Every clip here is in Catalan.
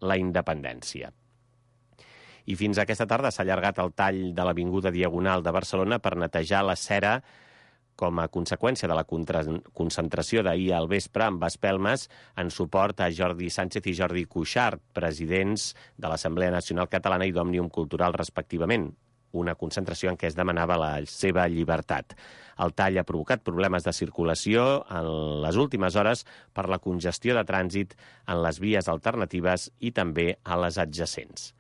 la independència. I fins aquesta tarda s'ha allargat el tall de l'Avinguda Diagonal de Barcelona per netejar la cera com a conseqüència de la concentració d'ahir al vespre amb espelmes en suport a Jordi Sánchez i Jordi Cuixart, presidents de l'Assemblea Nacional Catalana i d'Òmnium Cultural, respectivament. Una concentració en què es demanava la seva llibertat. El tall ha provocat problemes de circulació en les últimes hores per la congestió de trànsit en les vies alternatives i també a les adjacents.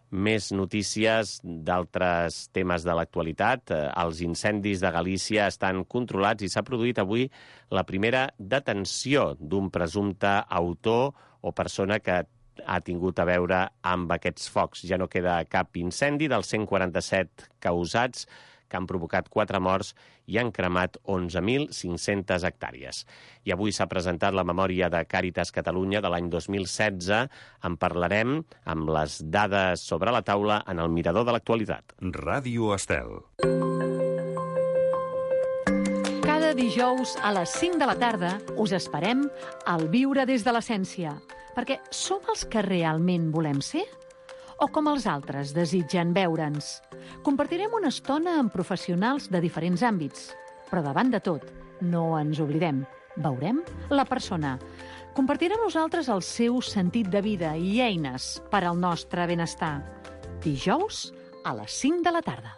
Més notícies d'altres temes de l'actualitat. Els incendis de Galícia estan controlats i s'ha produït avui la primera detenció d'un presumpte autor o persona que ha tingut a veure amb aquests focs. Ja no queda cap incendi dels 147 causats que han provocat 4 morts i han cremat 11.500 hectàrees. I avui s'ha presentat la memòria de Càritas Catalunya de l'any 2016. En parlarem amb les dades sobre la taula en el Mirador de l'actualitat. Ràdio Estel. Cada dijous a les 5 de la tarda us esperem al Viure des de l'Essència, perquè som els que realment volem ser? O com els altres desitgen veure'ns? Compartirem una estona amb professionals de diferents àmbits, però davant de tot, no ens oblidem, veurem la persona. Compartirem amb nosaltres el seu sentit de vida i eines per al nostre benestar. Dijous a les 5 de la tarda.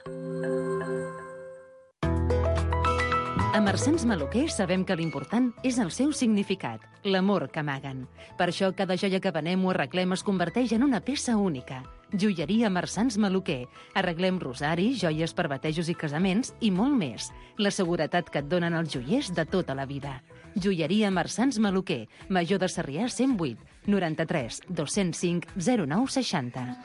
A Marsans Maluquer sabem que l'important és el seu significat, l'amor que amaguen. Per això cada joia que venem o arreglem es converteix en una peça única. Joieria Marsans Maluquer. Arreglem rosaris, joies per batejos i casaments i molt més. La seguretat que et donen els joiers de tota la vida. Joieria Marsans Maluquer. Major de Sarrià 108 93 205 09 60.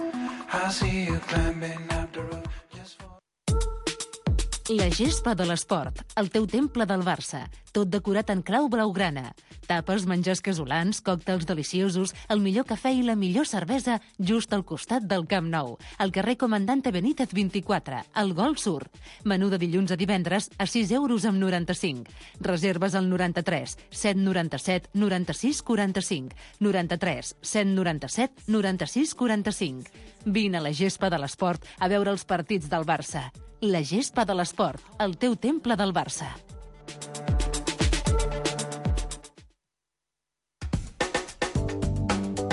La gespa de l'esport, el teu temple del Barça, tot decorat en clau blaugrana. Tapes, menjars casolans, còctels deliciosos, el millor cafè i la millor cervesa just al costat del Camp Nou, al carrer Comandante Benítez 24, al Golf Sur. Menú de dilluns a divendres a 6 euros amb 95. Reserves al 93 797 96 45, 93 797 96 45. Vine a la gespa de l'esport a veure els partits del Barça. La gespa de l'esport, el teu temple del Barça.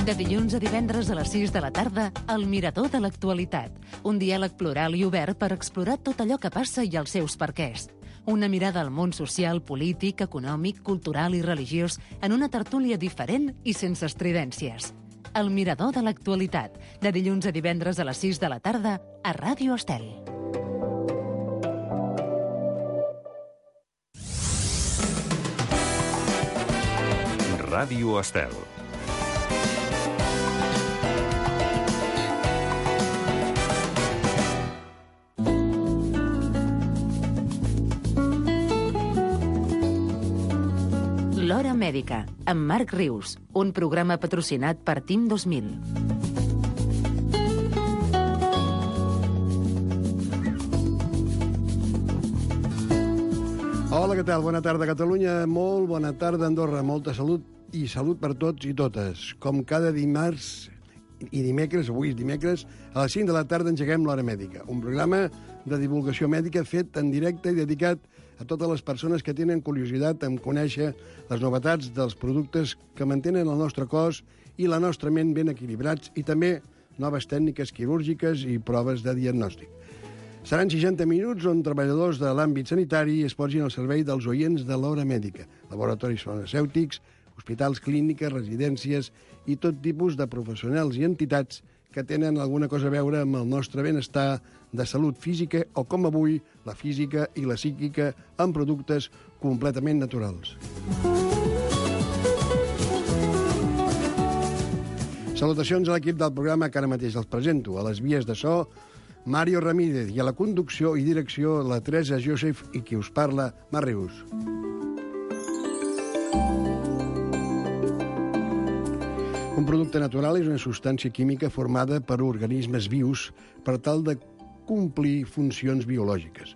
De dilluns a divendres a les 6 de la tarda, el Mirador de l'actualitat. Un diàleg plural i obert per explorar tot allò que passa i els seus perquès. Una mirada al món social, polític, econòmic, cultural i religiós en una tertúlia diferent i sense estridències. El Mirador de l'actualitat. De dilluns a divendres a les 6 de la tarda a Ràdio Estel. Ràdio Estel. L'Hora Mèdica, amb Marc Rius, un programa patrocinat per Team 2000. Hola, què tal? Bona tarda, Catalunya. Molt bona tarda, Andorra. Molta salut i salut per tots i totes. Com cada dimarts i dimecres, avui és dimecres, a les 5 de la tarda engeguem l'Hora Mèdica, un programa de divulgació mèdica fet en directe i dedicat a totes les persones que tenen curiositat en conèixer les novetats dels productes que mantenen el nostre cos i la nostra ment ben equilibrats i també noves tècniques quirúrgiques i proves de diagnòstic. Seran 60 minuts on treballadors de l'àmbit sanitari es posin al servei dels oients de l'Hora Mèdica, laboratoris farmacèutics, hospitals, clíniques, residències i tot tipus de professionals i entitats que tenen alguna cosa a veure amb el nostre benestar de salut física o, com avui, la física i la psíquica amb productes completament naturals. Salutacions a l'equip del programa que ara mateix els presento. A les vies de so, Mario Ramírez, i a la conducció i direcció, la Teresa Joseph i qui us parla, Marc Rius. Un producte natural és una substància química formada per organismes vius per tal de complir funcions biològiques.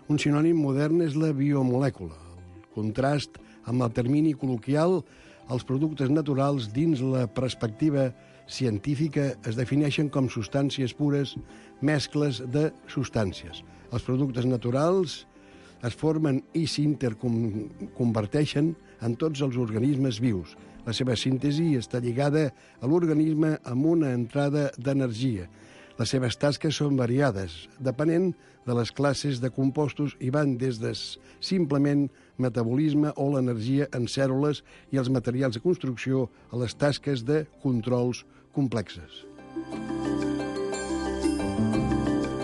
Un sinònim modern és la biomolècula. El contrast amb el termini col·loquial, els productes naturals dins la perspectiva científica es defineixen com substàncies pures, mescles de substàncies. Els productes naturals es formen i s'interconverteixen en tots els organismes vius. La seva síntesi està lligada a l'organisme amb una entrada d'energia. Les seves tasques són variades, depenent de les classes de compostos i van des de simplement metabolisme o l'energia en cèl·lules i els materials de construcció a les tasques de controls complexes.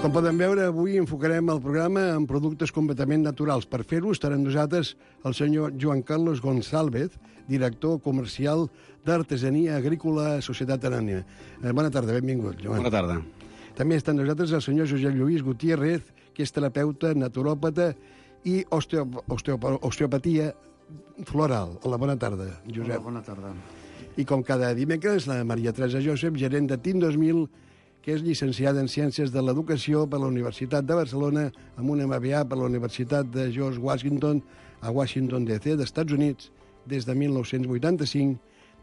Com poden veure, avui enfocarem el programa en productes completament naturals. Per fer-ho estarà amb nosaltres el senyor Joan Carlos Gonçálvez, director comercial d'Artesania Agrícola Societat Anònima. Bona tarda, benvingut, Joan. Bona tarda. També està amb nosaltres el senyor Josep Lluís Gutiérrez, que és terapeuta, naturòpata i osteopatia floral. Hola, bona tarda, Josep. Hola, bona tarda. I com cada dimecres, la Maria Teresa Josep, gerent de TIM 2000, que és llicenciada en Ciències de l'Educació per la Universitat de Barcelona, amb un MBA per la Universitat de George Washington, a Washington, D.C., d'Estats Units, des de 1985,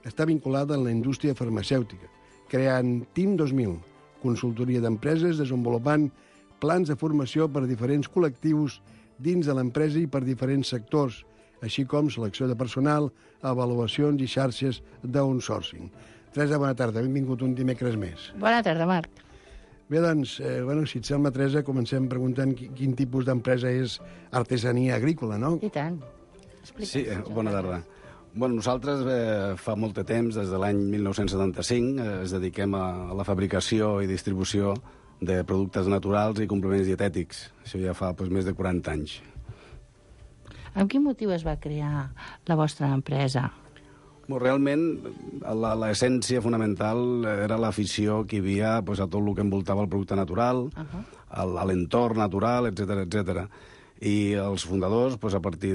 està vinculada en la indústria farmacèutica, creant TIM 2000, consultoria d'empreses, desenvolupant plans de formació per a diferents col·lectius dins de l'empresa i per diferents sectors, així com selecció de personal, avaluacions i xarxes d'outsourcing. Teresa, bona tarda, benvingut un dimecres més. Bona tarda, Marc. Bé, doncs, si et sembla, Teresa, comencem preguntant quin tipus d'empresa és Artesania Agrícola, no? I tant. Sí, bona tarda. Bueno, nosaltres fa molt de temps, des de l'any 1975, ens dediquem a la fabricació i distribució de productes naturals i complements dietètics. Això ja fa més de 40 anys. Amb quin motiu es va crear la vostra empresa? Realment, l'essència fonamental era l'afició que hi havia a tot el que envoltava el producte natural, a l'entorn natural, etc. I els fundadors, a partir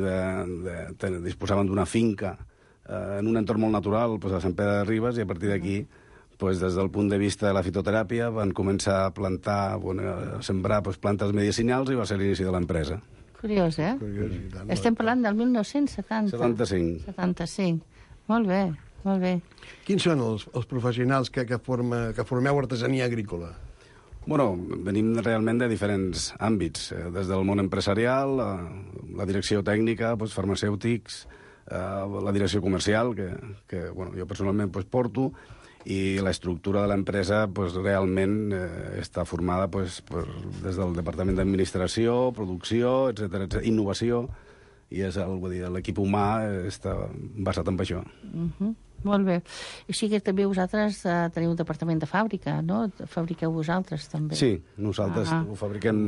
disposaven d'una finca en un entorn molt natural, a Sant Pere de Ribes, i a partir d'aquí, des del punt de vista de la fitoteràpia, van començar a plantar, a sembrar plantes medicinals i va ser l'inici de l'empresa. Curiós, eh? Estem parlant del 1970. 75. Molt bé, molt bé. Quins són els professionals que formeu Artesania Agrícola? Venim realment de diferents àmbits, des del món empresarial, la direcció tècnica, farmacèutics, la direcció comercial, que jo personalment porto, i l'estructura de l'empresa realment està formada des del departament d'administració, producció, etc., innovació, i l'equip humà està basat en això. Molt bé. I sí que també vosaltres teniu un departament de fàbrica, no? Fabriqueu vosaltres, també. Sí, nosaltres ho fabriquem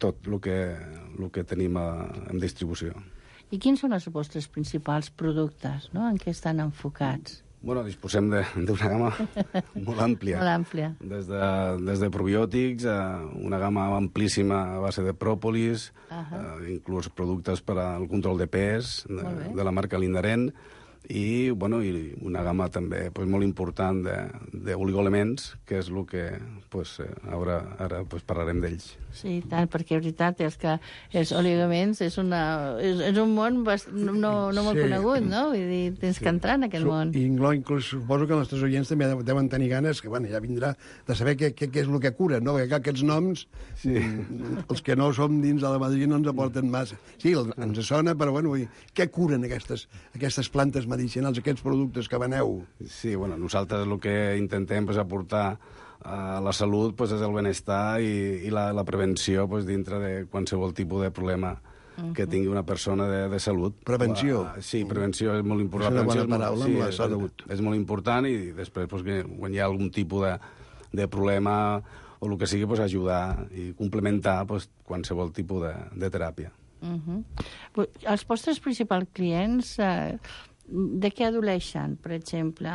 tot el que tenim en distribució. I quins són els vostres principals productes, no? En què estan enfocats? Disposem d'una gamma molt àmplia. Molt àmplia. Des de probiòtics, una gamma amplíssima a base de pròpolis, inclús productes per al control de pes, de la marca Lindaren, i una gamma també molt important d'oligoelements, que és el que ara parlarem d'ells. Sí, tant, perquè la veritat és que els oligoelements és un món no molt conegut, no? Vull dir, tens que entrar en aquest món. I inclús suposo que els nostres oients també deuen tenir ganes, que ja vindrà, de saber què és el que cura, no? Perquè aquests noms, els que no som dins de la Madrid no ens aporten massa. Sí, ens sona, però què curen aquestes plantes medicinals, aquests productes que veneu? Sí, nosaltres el que intentem aportar a la salut és el benestar i la prevenció dintre de qualsevol tipus de problema que tingui una persona de salut. Prevenció. Sí, prevenció és molt important. És una bona paraula amb la salut. És molt important, i després quan hi ha algun tipus de problema o el que sigui, ajudar i complementar qualsevol tipus de teràpia. Els vostres principals clients de què adoleixen, per exemple?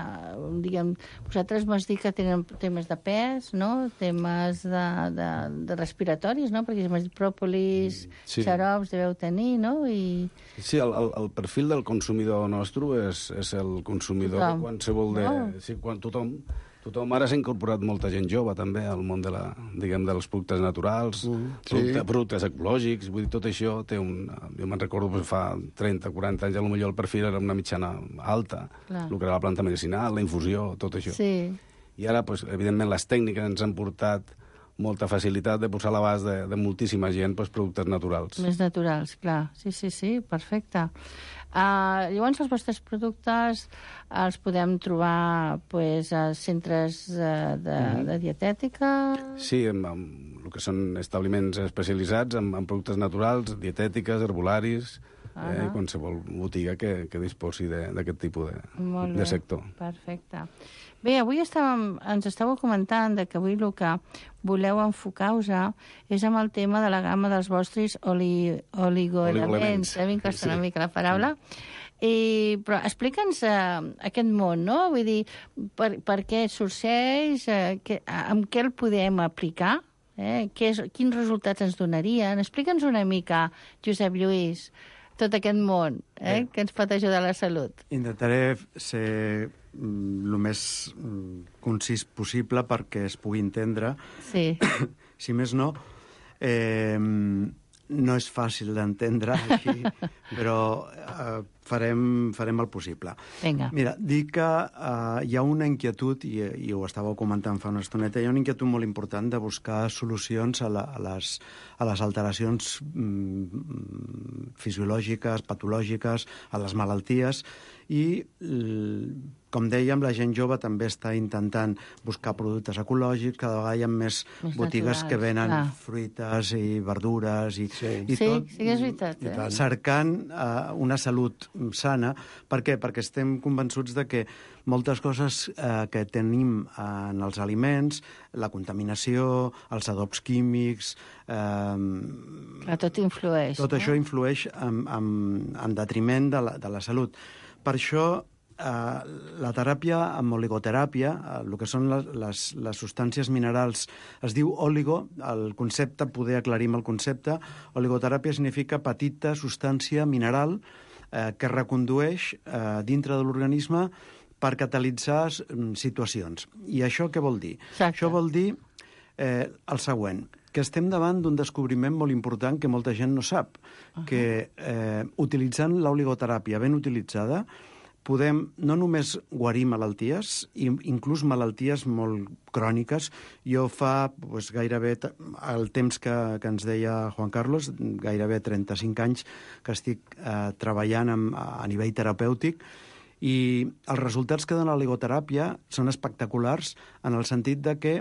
Vosaltres m'has dit que tenen temes de pes, no? Temes de respiratoris, no? Perquè m'has dit pròpolis, xarops, deveu tenir, no? Sí, el perfil del consumidor nostre és el consumidor de qualsevol Sí, tothom ara s'ha incorporat molta gent jove, també, al món dels productes naturals, productes ecològics, vull dir, tot això té jo me'n recordo fa 30, 40 anys, potser el perfil era una mitjana alta, el que era la planta medicinal, la infusió, tot això. Sí. I ara, pues, evidentment, les tècniques ens han portat molta facilitat de posar a l'abast de moltíssima gent productes naturals. Més naturals, clar. Sí, perfecte. Llavors, els vostres productes els podem trobar a centres de dietètica? Sí, en el que són establiments especialitzats en productes naturals, dietètiques, herbolaris, qualsevol botiga que disposi d'aquest tipus de sector. Perfecte. Bé, avui ens estàveu comentant que avui el que voleu enfocar-vos és amb el tema de la gamma dels vostres oligoelements. Em costa una mica la paraula. Però explica'ns aquest món, no? Vull dir, per què sorgeix, amb què el podem aplicar, quins resultats ens donarien. Explica'ns una mica, Josep Lluís, tot aquest món que ens pot ajudar a la salut. Intentaré ser el més concís possible perquè es pugui entendre. Sí. Si més no, no és fàcil d'entendre així, però farem el possible. Vinga. Mira, dic que hi ha una inquietud, i ho estàveu comentant fa una estoneta, hi ha una inquietud molt important de buscar solucions a les alteracions fisiològiques, patològiques, a les malalties, i, com dèiem, la gent jove també està intentant buscar productes ecològics, cada vegada hi ha més botigues que venen fruites i verdures i tot. Sí, és veritat. Cercant una salut sana. Per què? Perquè estem convençuts de que moltes coses que tenim en els aliments, la contaminació, els adobs químics... Tot influeix. Tot això influeix en detriment de la salut. Per això, la teràpia amb oligoteràpia, el que són les substàncies minerals, es diu oligo, el concepte, poder aclarim el concepte, oligoteràpia significa petita substància mineral que recondueix dintre de l'organisme per catalitzar situacions. I això què vol dir? Exacte. Això vol dir el següent, que estem davant d'un descobriment molt important que molta gent no sap, que utilitzant l'oligoteràpia ben utilitzada podem no només guarir malalties, inclús malalties molt cròniques. Jo fa gairebé el temps que ens deia Juan Carlos, gairebé 35 anys que estic treballant a nivell terapèutic, i els resultats que dona l'oligoteràpia són espectaculars en el sentit de que,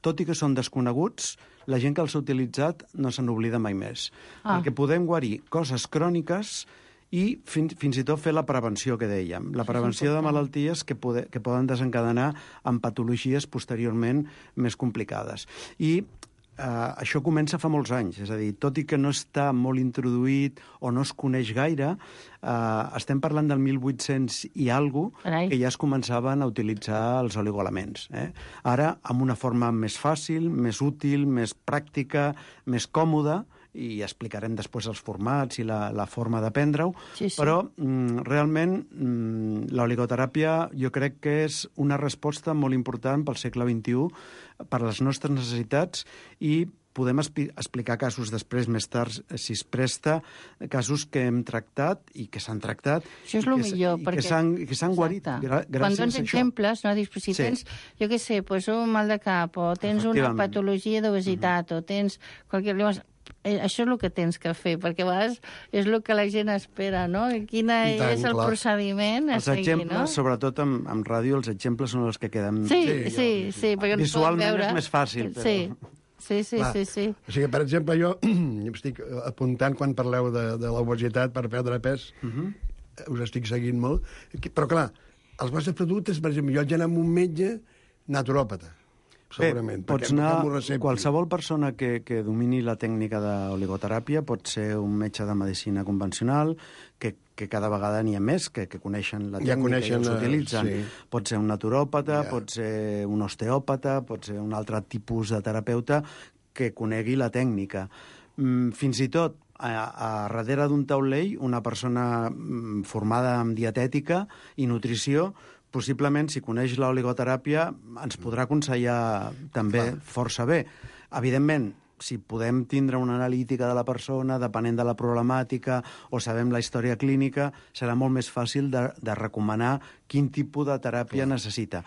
tot i que són desconeguts, la gent que els ha utilitzat no se n'oblida mai més. Perquè podem guarir coses cròniques i fins i tot fer la prevenció que dèiem. La prevenció de malalties que poden desencadenar en patologies posteriorment més complicades. I això comença fa molts anys, és a dir, tot i que no està molt introduït o no es coneix gaire, estem parlant del 1800 i alguna cosa que ja es començaven a utilitzar els oligoelements. Ara, amb una forma més fàcil, més útil, més pràctica, més còmoda, i explicarem després els formats i la forma de prendre-ho, però realment l'oligoteràpia jo crec que és una resposta molt important pel segle XXI, per les nostres necessitats, i podem explicar casos després, més tard, si es presta, casos que hem tractat i que s'han tractat. Això és el millor, perquè... que s'han guarit gràcies a això. Quan dones exemples, no? Dius, si tens, jo què sé, un mal de cap, o tens una patologia d'obesitat, o tens qualsevol... Llavors, això és el que tens que fer, perquè a vegades és el que la gent espera, no? Quin és el procediment a seguir, no? Exemples, sobretot amb ràdio, els exemples són els que queden... Sí, perquè visualment és més fàcil, però... Sí. O sigui, per exemple, jo estic apuntant quan parleu de l'obesitat per perdre pes, us estic seguint molt, però clar, els vostres productes, per exemple, jo haig d'anar amb un metge naturòpata, segurament. Bé, pots anar, qualsevol persona que domini la tècnica d'oligoteràpia pot ser un metge de medicina convencional, que cada vegada n'hi ha més, que coneixen la tècnica i els utilitzen. Pot ser un naturòpata, pot ser un osteòpata, pot ser un altre tipus de terapeuta que conegui la tècnica. Fins i tot, a darrere d'un taulell, una persona formada en dietètica i nutrició, possiblement, si coneix l'oligoteràpia, ens podrà aconsellar també força bé. Evidentment, si podem tindre una analítica de la persona, depenent de la problemàtica, o sabem la història clínica, serà molt més fàcil de recomanar quin tipus de teràpia necessita.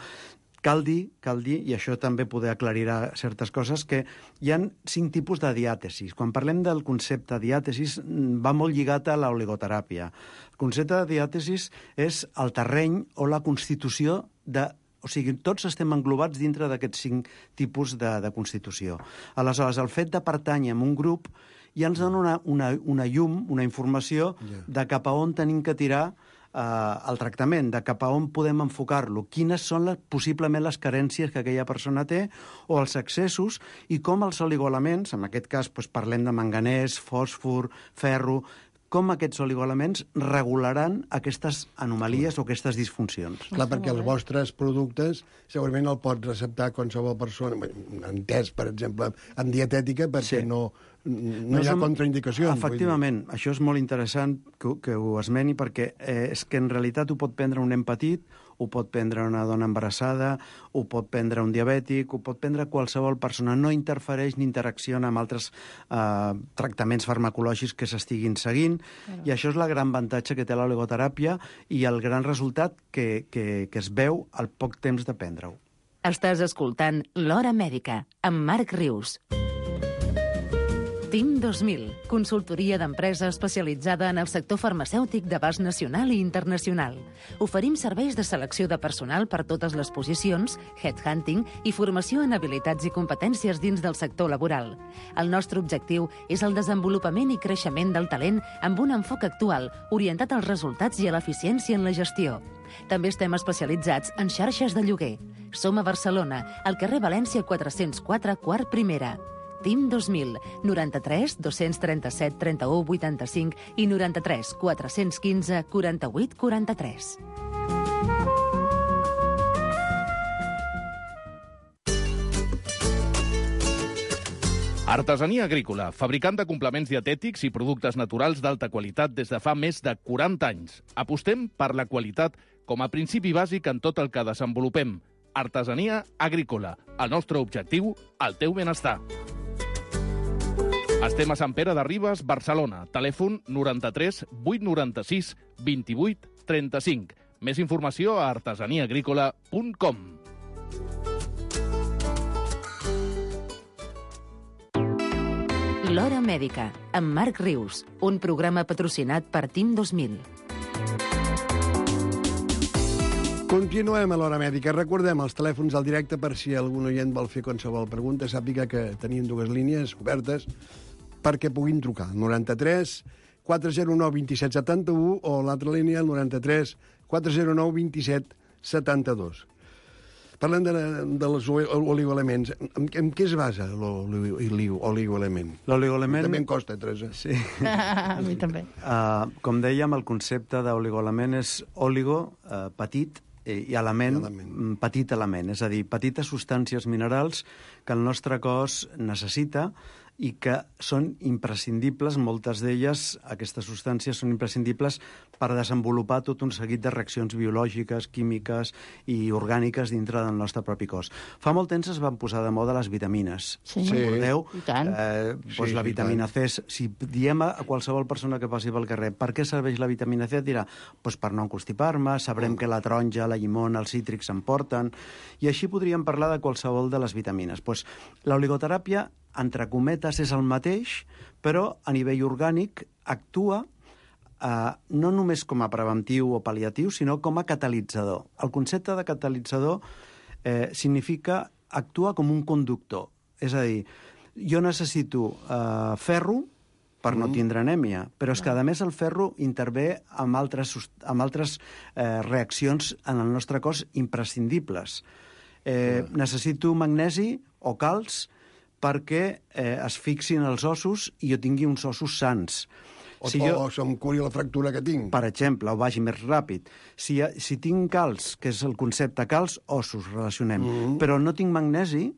Cal dir, i això també poder aclarirà certes coses, que hi ha 5 tipus de diàtesis. Quan parlem del concepte diàtesis, va molt lligat a l'oligoteràpia. El concepte de diàtesis és el terreny o la constitució de... O sigui, tots estem englobats dintre d'aquests 5 tipus de constitució. Aleshores, el fet de pertànyer a un grup ja ens dona una llum, una informació de cap a on tenim que tirar el tractament, de cap a on podem enfocar-lo, quines són possiblement les carències que aquella persona té o els excessos, i com els oligoelements, en aquest cas parlem de manganès, fòsfor, ferro, com aquests oligoelements regularan aquestes anomalies o aquestes disfuncions. Clar, perquè els vostres productes segurament el pot receptar qualsevol persona, entès, per exemple, en dietètica, perquè no hi ha contraindicacions. Efectivament, això és molt interessant que ho esmeni, perquè és que en realitat ho pot prendre un nen petit, ho pot prendre una dona embarassada, ho pot prendre un diabètic, ho pot prendre qualsevol persona. No interfereix ni interacciona amb altres tractaments farmacològics que s'estiguin seguint, i això és la gran avantatge que té l'oligoteràpia i el gran resultat que es veu al poc temps de prendre-ho. Estàs escoltant L'Hora Mèdica, amb Marc Rius. TIM 2000, consultoria d'empresa especialitzada en el sector farmacèutic d'abast nacional i internacional. Oferim serveis de selecció de personal per totes les posicions, headhunting i formació en habilitats i competències dins del sector laboral. El nostre objectiu és el desenvolupament i creixement del talent amb un enfoc actual, orientat als resultats i a l'eficiència en la gestió. També estem especialitzats en xarxes de lloguer. Som a Barcelona, al carrer València 404, quart primera. TIM 2000, 93 237 31 85 i 93 415 48 43. Artesania Agrícola, fabricant de complements dietètics i productes naturals d'alta qualitat des de fa més de 40 anys. Apostem per la qualitat com a principi bàsic en tot el que desenvolupem. Artesania Agrícola, el nostre objectiu, el teu benestar. Estem a Sant Pere de Ribes, Barcelona. Telèfon 93 896 28 35. Més informació a artesaniaagrícola.com. L'Hora Mèdica, amb Marc Rius, un programa patrocinat per TIM 2000. Continuem a l'Hora Mèdica. Recordem els telèfons al directe per si algun oient vol fer qualsevol pregunta. Sàpiga que tenim 2 línies obertes perquè puguin trucar. 93 409 27 71 o l'altra línia, el 93 409 27 72. Parlem dels oligoelements. En què es basa l'oligoelement? L'oligoelement... També em costa, Teresa. Sí. A mi també. Com dèiem, el concepte d'oligoelement és oligo, petit, i element, petit element, és a dir, petites substàncies minerals que el nostre cos necessita i que són imprescindibles, moltes d'elles, aquestes substàncies són imprescindibles per desenvolupar tot un seguit de reaccions biològiques, químiques i orgàniques dintre del nostre propi cos. Fa molt temps es van posar de moda les vitamines. Sí. Recordeu? I tant. La vitamina C, si diem a qualsevol persona que passi pel carrer per què serveix la vitamina C, dirà per no constipar-me, sabrem que la taronja, la llimona, els cítrics s'emporten, i així podríem parlar de qualsevol de les vitamines. L'oligoteràpia, entre cometes, és el mateix, però a nivell orgànic actua no només com a preventiu o pal·liatiu, sinó com a catalitzador. El concepte de catalitzador significa actuar com un conductor. És a dir, jo necessito ferro per no tindre anèmia, però és que, a més, el ferro intervé amb altres reaccions en el nostre cos imprescindibles. Necessito magnesi o calç perquè es fixin els ossos i jo tingui uns ossos sans. O se'm curi la fractura que tinc. Per exemple, o vagi més ràpid. Si tinc calç, que és el concepte calç, ossos, relacionem, però no tinc magnesi,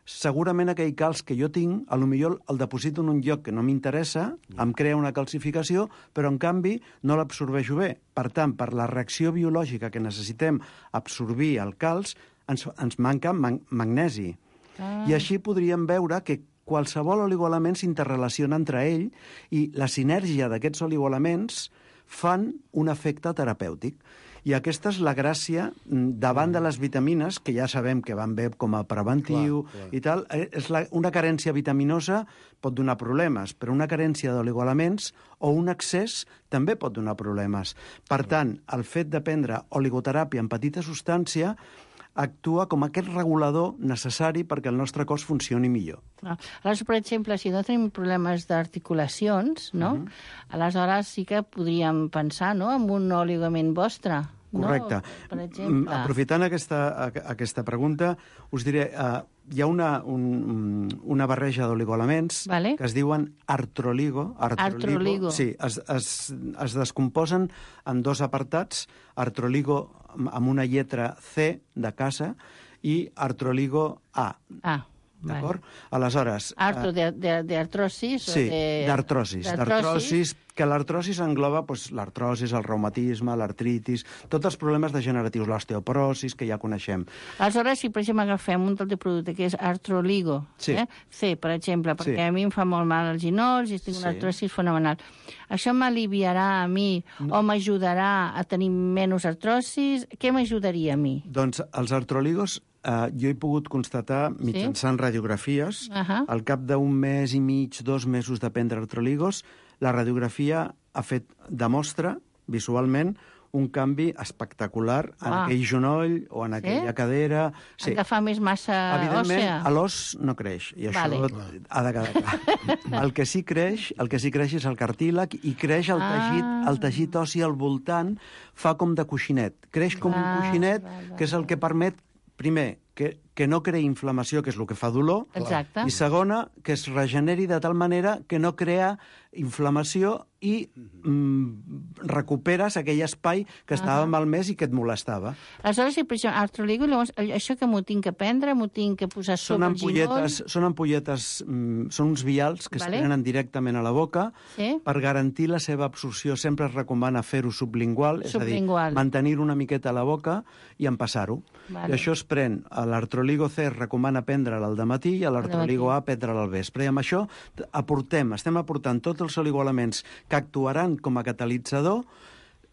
segurament aquell calç que jo tinc, potser el deposito en un lloc que no m'interessa, em crea una calcificació, però en canvi no l'absorbeixo bé. Per tant, per la reacció biològica que necessitem absorbir el calç, ens manca magnesi. I així podríem veure que qualsevol oligoelement s'interrelaciona entre ell i la sinergia d'aquests oligoelements fan un efecte terapèutic. I aquesta és la gràcia davant de les vitamines, que ja sabem que van bé com a preventiu i tal. Una carència vitaminosa pot donar problemes, però una carència d'oligoelements o un excés també pot donar problemes. Per tant, el fet de prendre oligoteràpia en petita substància actua com aquest regulador necessari perquè el nostre cos funcioni millor. Aleshores, per exemple, si no tenim problemes d'articulacions, no? Aleshores sí que podríem pensar, no?, en un oligament vostre. Correcte. No? Per exemple. Aprofitant aquesta pregunta, us diré, hi ha una barreja d'oligoelements que es diuen artroligo. Artroligo. Sí, es descomposen en dos apartats, artroligo amb una lletra C de casa i artroligo A. D'acord? Aleshores... d'artrosis? Sí, d'artrosis. D'artrosis, que l'artrosis engloba l'artrosis, el reumatisme, l'artritis, tots els problemes degeneratius, l'osteoporosis, que ja coneixem. Aleshores, si per exemple agafem un del producte que és artroligo, C, per exemple, perquè a mi em fa molt mal els ginolls i tinc una artrosis fenomenal. Això m'aliviarà a mi o m'ajudarà a tenir menys artrosis? Què m'ajudaria a mi? Doncs els artroligos jo he pogut constatar mitjançant radiografies, al cap d'un mes i mig, 2 mesos de prendre artroligos, la radiografia demostra visualment un canvi espectacular en aquell genoll o en aquella cadera. Sí. Agafar més massa òssea. Evidentment, l'os no creix, i això ha de quedar clar. El que sí creix és el cartílag i creix el teixit ossi al voltant, fa com de coixinet. Creix com un coixinet, que és el que permet, primer, que no creï inflamació, que és el que fa dolor, i segona, que es regeneri de tal manera que no crea inflamació i recuperes aquell espai que estava malmès i que et molestava. Aleshores, si per exemple, artroligo, llavors, això que m'ho tinc que prendre, m'ho tinc que posar sobre el ginoll? Són ampolletes, són uns vials que es prenen directament a la boca. Per garantir la seva absorció sempre es recomana fer-ho sublingual, és a dir, mantenir una miqueta a la boca i empassar-ho. I això es pren, l'artroligo C es recomana prendre'l al dematí i l'artroligo A prendre'l al vespre. I amb això estem aportant tots els oligoelements que actuaran com a catalitzador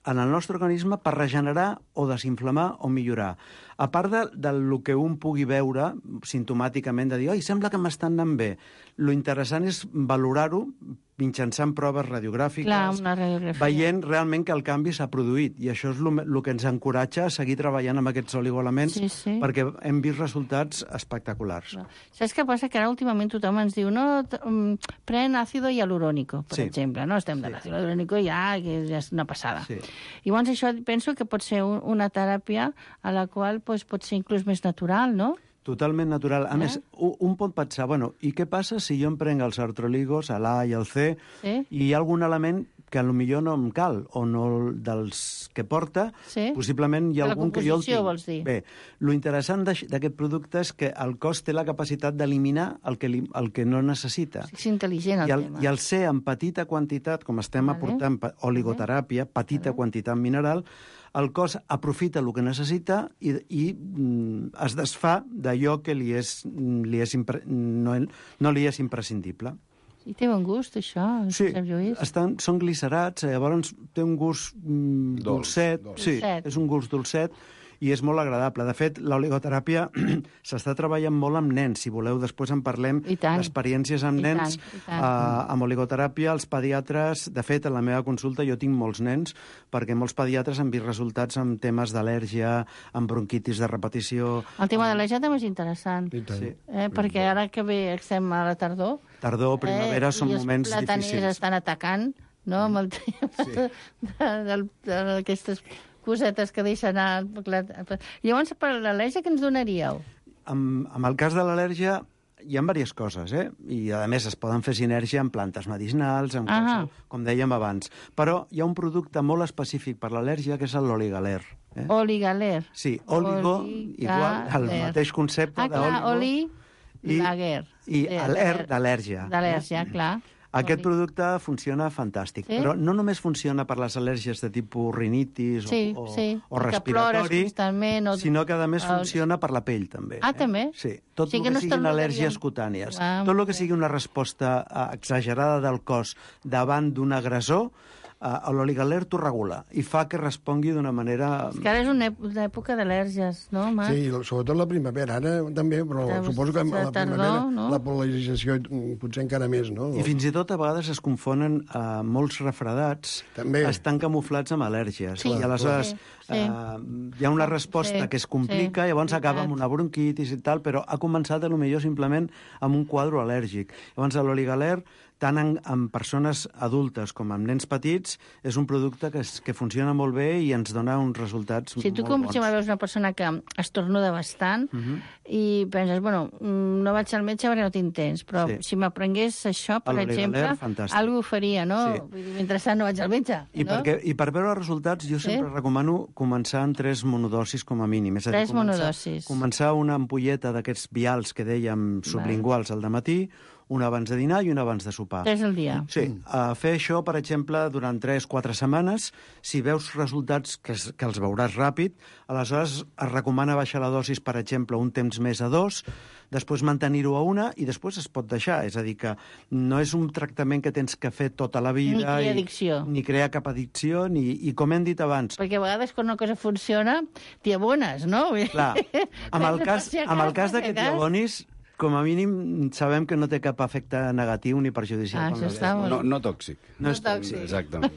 en el nostre organisme per regenerar o desinflamar o millorar. A part del que un pugui veure simptomàticament, de dir, oi, sembla que m'estan anant bé, lo interessant és valorar-ho mitjançant proves radiogràfiques, veient realment que el canvi s'ha produït. I això és el que ens encoratja a seguir treballant amb aquests oligoelements, perquè hem vist resultats espectaculars. Saps què passa? Que ara últimament tothom ens diu pren àcido hialurónico, per exemple. No estem de l'àcido hialurónico ja és una passada. Llavors això penso que pot ser una teràpia a la qual pot ser inclús més natural, no? Totalment natural. A més, un pot pensar, i què passa si jo em prenc els artroligos, l'A i el C, i hi ha algun element que potser no em cal, o no dels que porta, possiblement hi ha algun que jo el tinc. Vols dir? Bé, lo interessant d'aquest producte és que el cos té la capacitat d'eliminar el que no necessita. És intel·ligent el tema. I el C en petita quantitat, com estem aportant oligoteràpia, petita quantitat mineral, el cos aprofita el que necessita i es desfà d'allò que no li és imprescindible. I té bon gust, això? Sí, són glicerats, llavors té un gust dolcet. Sí, és un gust dolcet i és molt agradable. De fet, l'oligoteràpia s'està treballant molt amb nens. Si voleu, després en parlem d'experiències amb nens. Amb oligoteràpia, els pediatres... De fet, en la meva consulta jo tinc molts nens, perquè molts pediatres han vist resultats amb temes d'al·lèrgia, amb bronquitis de repetició... El tema de l'al·lèrgia també és interessant. Perquè ara que bé estem a la tardor... Tardor, primavera, són moments difícils. I els plataners estan atacant, no?, amb el tema d'aquestes cosetes que deixen anar... Llavors, per l'al·lèrgia, què ens donaríeu? En el cas de l'al·lèrgia hi ha diverses coses, i a més es poden fer sinergia amb plantes medicinals, com dèiem abans. Però hi ha un producte molt específic per l'al·lèrgia, que és l'oligaler. Oligaler? Sí, oligo, igual, el mateix concepte d'oligo. Lager. I l'er d'al·lèrgia. D'al·lèrgia, clar. Aquest producte funciona fantàstic, però no només funciona per les al·lèrgies de tipus rinitis o respiratori, sinó que a més funciona per la pell, també. També? Sí, tot el que siguin al·lèrgies cutànies. Tot el que sigui una resposta exagerada del cos davant d'un agressor, l'oligaler t'ho regula i fa que respongui d'una manera... És que ara és una època d'al·lèrgies, no, Marc? Sí, sobretot la primavera, ara també, però suposo que a la primavera la pol·linització potser encara més, no? I fins i tot a vegades es confonen molts refredats, també estan camuflats amb al·lèrgies. Sí, I aleshores hi ha una resposta que es complica i llavors acaba amb una bronquitis i tal, però ha començat potser simplement amb un quadre al·lèrgic. Llavors l'oligaler, tant en persones adultes com en nens petits, és un producte que funciona molt bé i ens dona uns resultats molt bons. Si tu com si veus una persona que estornuda bastant i penses, bueno, no vaig al metge perquè no tinc temps, però si m'aprengués això, per exemple, alguna ho faria, no? Sí. Mentrestant no vaig al metge. I per veure els resultats jo sempre recomano començar amb 3 monodosis com a mínim. És a dir, 3 monodosis. Començar una ampolleta d'aquests vials que dèiem sublinguals al dematí, una abans de dinar i una abans de sopar. 3 al dia. Sí, fer això, per exemple, durant 3-4 setmanes, si veus resultats que els veuràs ràpid, aleshores es recomana baixar la dosis, per exemple, un temps més a 2, després mantenir-ho a 1 i després es pot deixar. És a dir, que no és un tractament que tens que fer tota la vida... Ni crear addicció. Ni crear cap addicció, i com hem dit abans... Perquè a vegades quan una cosa funciona, t'hi abones, no? Clar, amb el cas que t'hi abonis, com a mínim sabem que no té cap efecte negatiu ni perjudicial. No tòxic. No és tòxic. Exactament.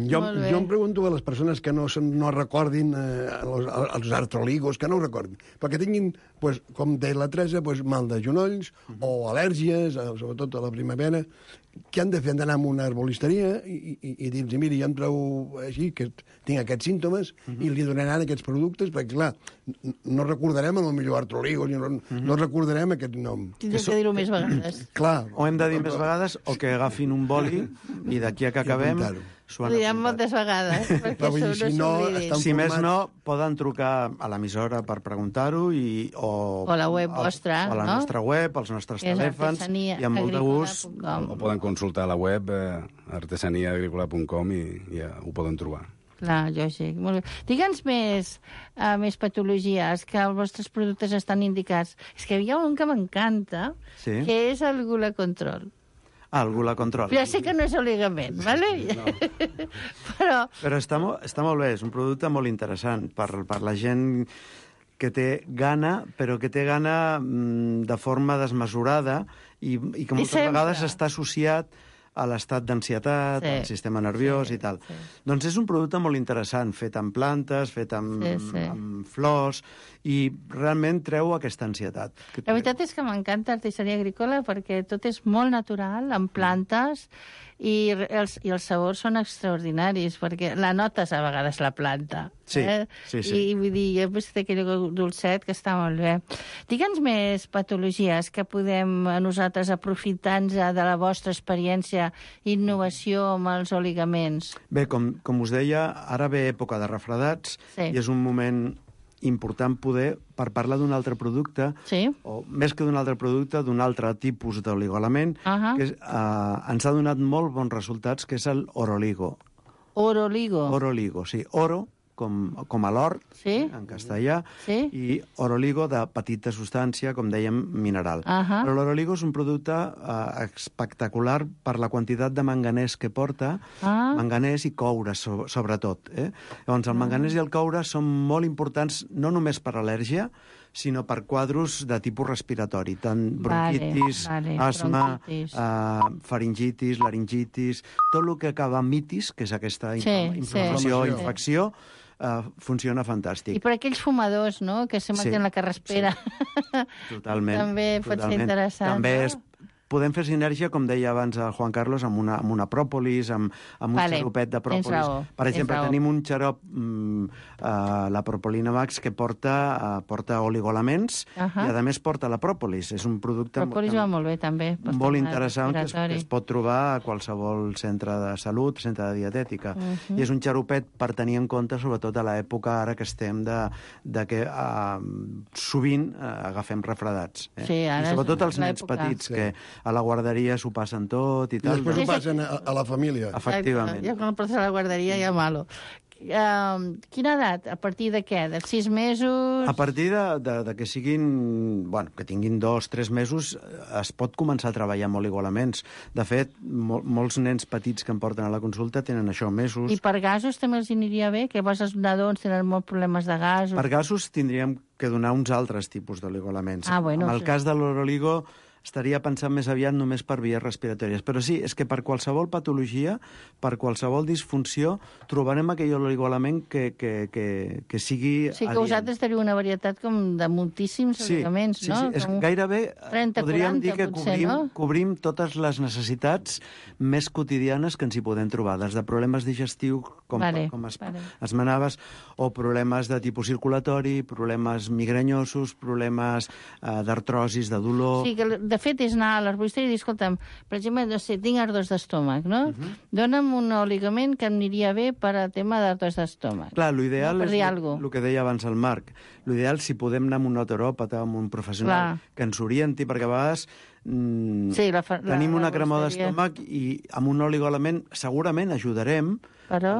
Jo em pregunto a les persones que no recordin els artroligos, que no ho recordin, perquè tinguin, com deia la Teresa, mal de genolls o al·lèrgies, sobretot a la primavera, què han de fer? Han d'anar a una herbolisteria i dir-los, mira, jo em trobo així, que tinc aquests símptomes, i li donaran aquests productes, perquè, clar, no recordarem el millor artroligos, no recordarem aquest nom. Tindrem que dir-ho més vegades. Clar. O hem de dir més vegades, o que agafin un boli i d'aquí a que acabem... Ho direm moltes vegades, perquè no s'oblidin. Si més no, poden trucar a l'emissora per preguntar-ho o a la web vostra, o a la nostra web, als nostres telèfons, i amb molt de gust. O poden consultar la web artesaniaagricola.com i ja ho poden trobar. Clar, lògic. Molt bé. Digue'ns més patologies que els vostres productes estan indicats. És que hi ha un que m'encanta, que és el Gula Control. El Gula Control. Ja sé que no és oligament, ¿vale? No. Però està molt bé, és un producte molt interessant per la gent que té gana, però que té gana de forma desmesurada i que moltes vegades està associat a l'estat d'ansietat, al sistema nerviós i tal. Doncs és un producte molt interessant, fet amb plantes, fet amb flors, i realment treu aquesta ansietat. La veritat és que m'encanta Artesania Agrícola perquè tot és molt natural, amb plantes, i els sabors són extraordinaris, perquè la notes a vegades la planta. Sí. I vull dir, jo he vist aquell dolcet que està molt bé. Digue'ns més patologies que podem nosaltres aprofitar-nos de la vostra experiència i innovació amb els oligaments. Bé, com us deia, ara ve època de refredats i és un moment important poder, per parlar d'un altre producte, o més que d'un altre producte, d'un altre tipus d'oligoelement, que ens ha donat molt bons resultats, que és el oroligo. Oroligo? Oroligo, sí. Oro, com a l'or, en castellà, i oroligo de petita substància, com dèiem, mineral. Però l'oroligo és un producte espectacular per la quantitat de manganès que porta, manganès i coure, sobretot. Llavors, el manganès i el coure són molt importants no només per al·lèrgia, sinó per quadros de tipus respiratori, tant bronquitis, asma, faringitis, laringitis, tot el que acaba amb mitis, que és aquesta inflamació o infecció, funciona fantàstic. I per aquells fumadors, no?, que sempre tenen la carraspera. Totalment. També pot ser interessant. També podem fer sinergia, com deia abans el Juan Carlos, amb una pròpolis, amb un xaropet de pròpolis. Per exemple, tenim un xarop, la Propolina Max, que porta oligoelements i, a més, porta la pròpolis. És un producte pròpolis va molt bé, també. Molt interessant, que es pot trobar a qualsevol centre de salut, centre de dietètica. I és un xaropet per tenir en compte, sobretot a l'època ara que estem, de que sovint agafem refredats. I sobretot els nens petits, que a la guarderia s'ho passen tot i tal. I després ho passen a la família. Efectivament. Ja quan el portes a la guarderia ja malo. quina edat? A partir de què? De 6 mesos? A partir de que siguin... Bueno, que tinguin 2-3 mesos es pot començar a treballar amb oligoelements. De fet, molts nens petits que em porten a la consulta tenen això, mesos. I per gasos també els aniria bé? Que llavors els nadons tenen molts problemes de gasos. Per gasos tindríem que donar uns altres tipus d'oligoelements. Bueno, en el cas de l'oroligo estaria pensant més aviat només per vies respiratòries. Però sí, és que per qualsevol patologia, per qualsevol disfunció, trobarem aquell oligoelement que sigui... Sí, que vosaltres teniu una varietat com de moltíssims aliments, no? Sí, és gairebé 30, podríem 40, dir que potser, cobrim totes les necessitats més quotidianes que ens hi podem trobar, des de problemes digestius, com esmenaves, o problemes de tipus circulatori, problemes migranyosos, problemes d'artrosis, de dolor... Sí, que de fet és anar a l'herboristeria i dir, escolta'm, per exemple, no sé, tinc ardors d'estómac, no? Dona'm un oligament que em aniria bé per a tema d'ardors d'estómac. Clar, l'ideal és el que deia abans el Marc. L'ideal, si podem anar amb un otoròpata, amb un professional que ens orienti, perquè a vegades tenim una cremor d'estómac i amb un oligoelement segurament ajudarem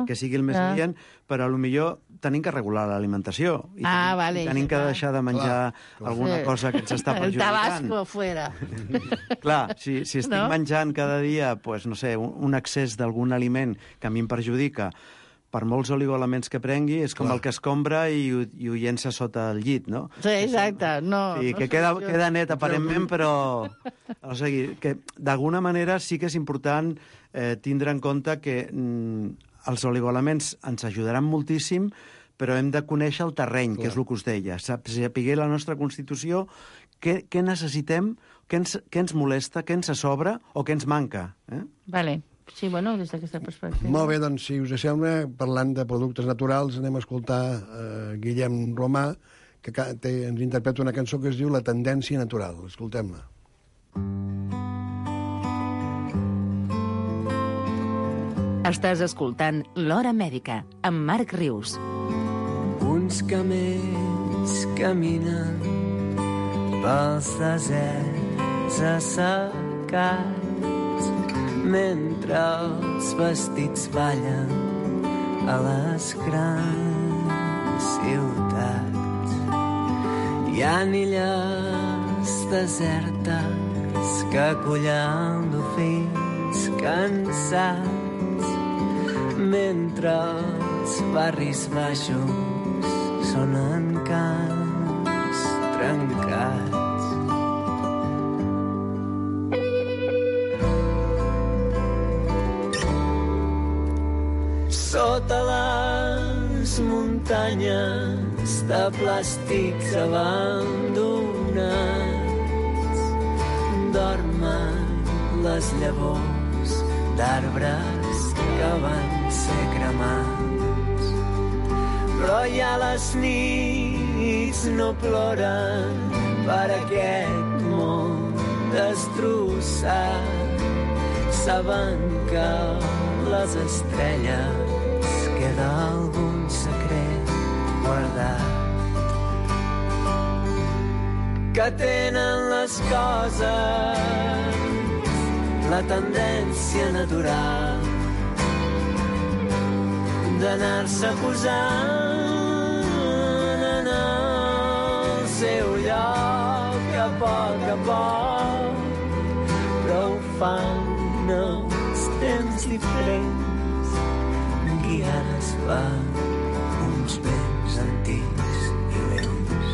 que sigui el més adient, però potser tenim que regular l'alimentació. I tenim que deixar de menjar alguna cosa que ens està perjudicant. El tabasco fuera. Clar, si estic menjant cada dia, pues, no sé, un excés d'algun aliment que a mi em perjudica, per molts oligoelements que prengui, és com el que escombra i ho llença sota el llit, no? Sí, exacte. Que queda net aparentment, però... O sigui, que d'alguna manera sí que és important tindre en compte que els oligoelements ens ajudaran moltíssim, però hem de conèixer el terreny, que és el que us deia. Saber la nostra constitució, què necessitem, què ens molesta, què ens sobra o què ens manca. Vale. Sí, bueno, des d'aquesta perspectiva. Molt bé, doncs, si us sembla, parlant de productes naturals, anem a escoltar Guillem Romà, que ens interpreta una cançó que es diu La tendència natural. Escoltem-la. Estàs escoltant L'Hora Mèdica, amb Marc Rius. Uns camells caminen pels deserts assecats mentre els vestits ballen a les grans ciutats. Hi ha illes desertes que acullen dofins cansats mentre els barris baixos sonen cants trencats. Sota les muntanyes de plàstics abandonats dormen les llavors d'arbres que van ser cremats. Però ja les nits no ploren per aquest món destrossat. Saben que les estrelles queda algun secret guardat, que tenen les coses la tendència natural d'anar-se posant en el seu lloc a poc, però ho fan els temps diferents, guiades per uns vents antics i lents.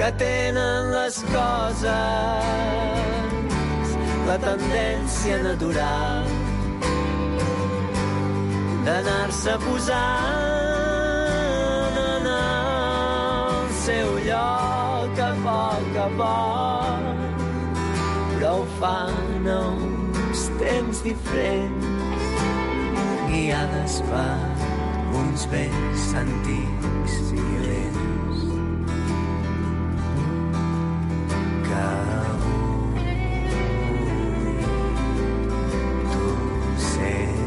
que tenen les coses la tendència natural d'anar-se posant en el seu lloc a poc, però ho fan a uns temps diferents, guiades per uns vells antics violents que avui tu sents.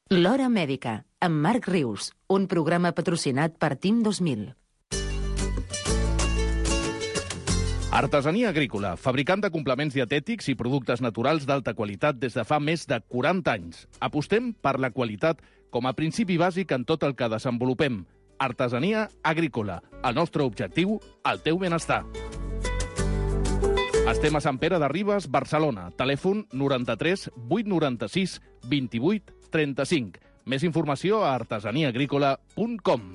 L'Hora Mèdica, amb Marc Rius, un programa patrocinat per Team 2000. Artesania Agrícola, fabricant de complements dietètics i productes naturals d'alta qualitat des de fa més de 40 anys. Apostem per la qualitat com a principi bàsic en tot el que desenvolupem. Artesania Agrícola, el nostre objectiu, el teu benestar. Estem a Sant Pere de Ribes, Barcelona. Telèfon 93 896 28 35. Més informació a artesaniaagrícola.com.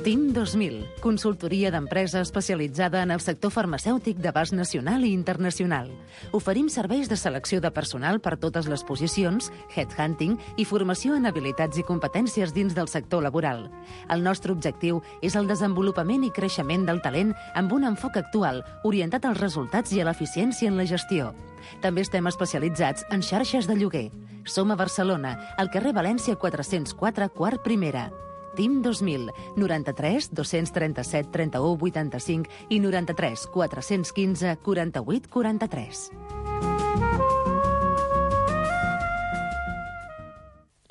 Team 2000, consultoria d'empresa especialitzada en el sector farmacèutic d'abast nacional i internacional. Oferim serveis de selecció de personal per totes les posicions, headhunting i formació en habilitats i competències dins del sector laboral. El nostre objectiu és el desenvolupament i creixement del talent amb un enfoc actual, orientat als resultats i a l'eficiència en la gestió. També estem especialitzats en xarxes de lloguer. Som a Barcelona, al carrer València 404, quart primera. Team 2000, 93 237 31 85 i 93 415 48 43.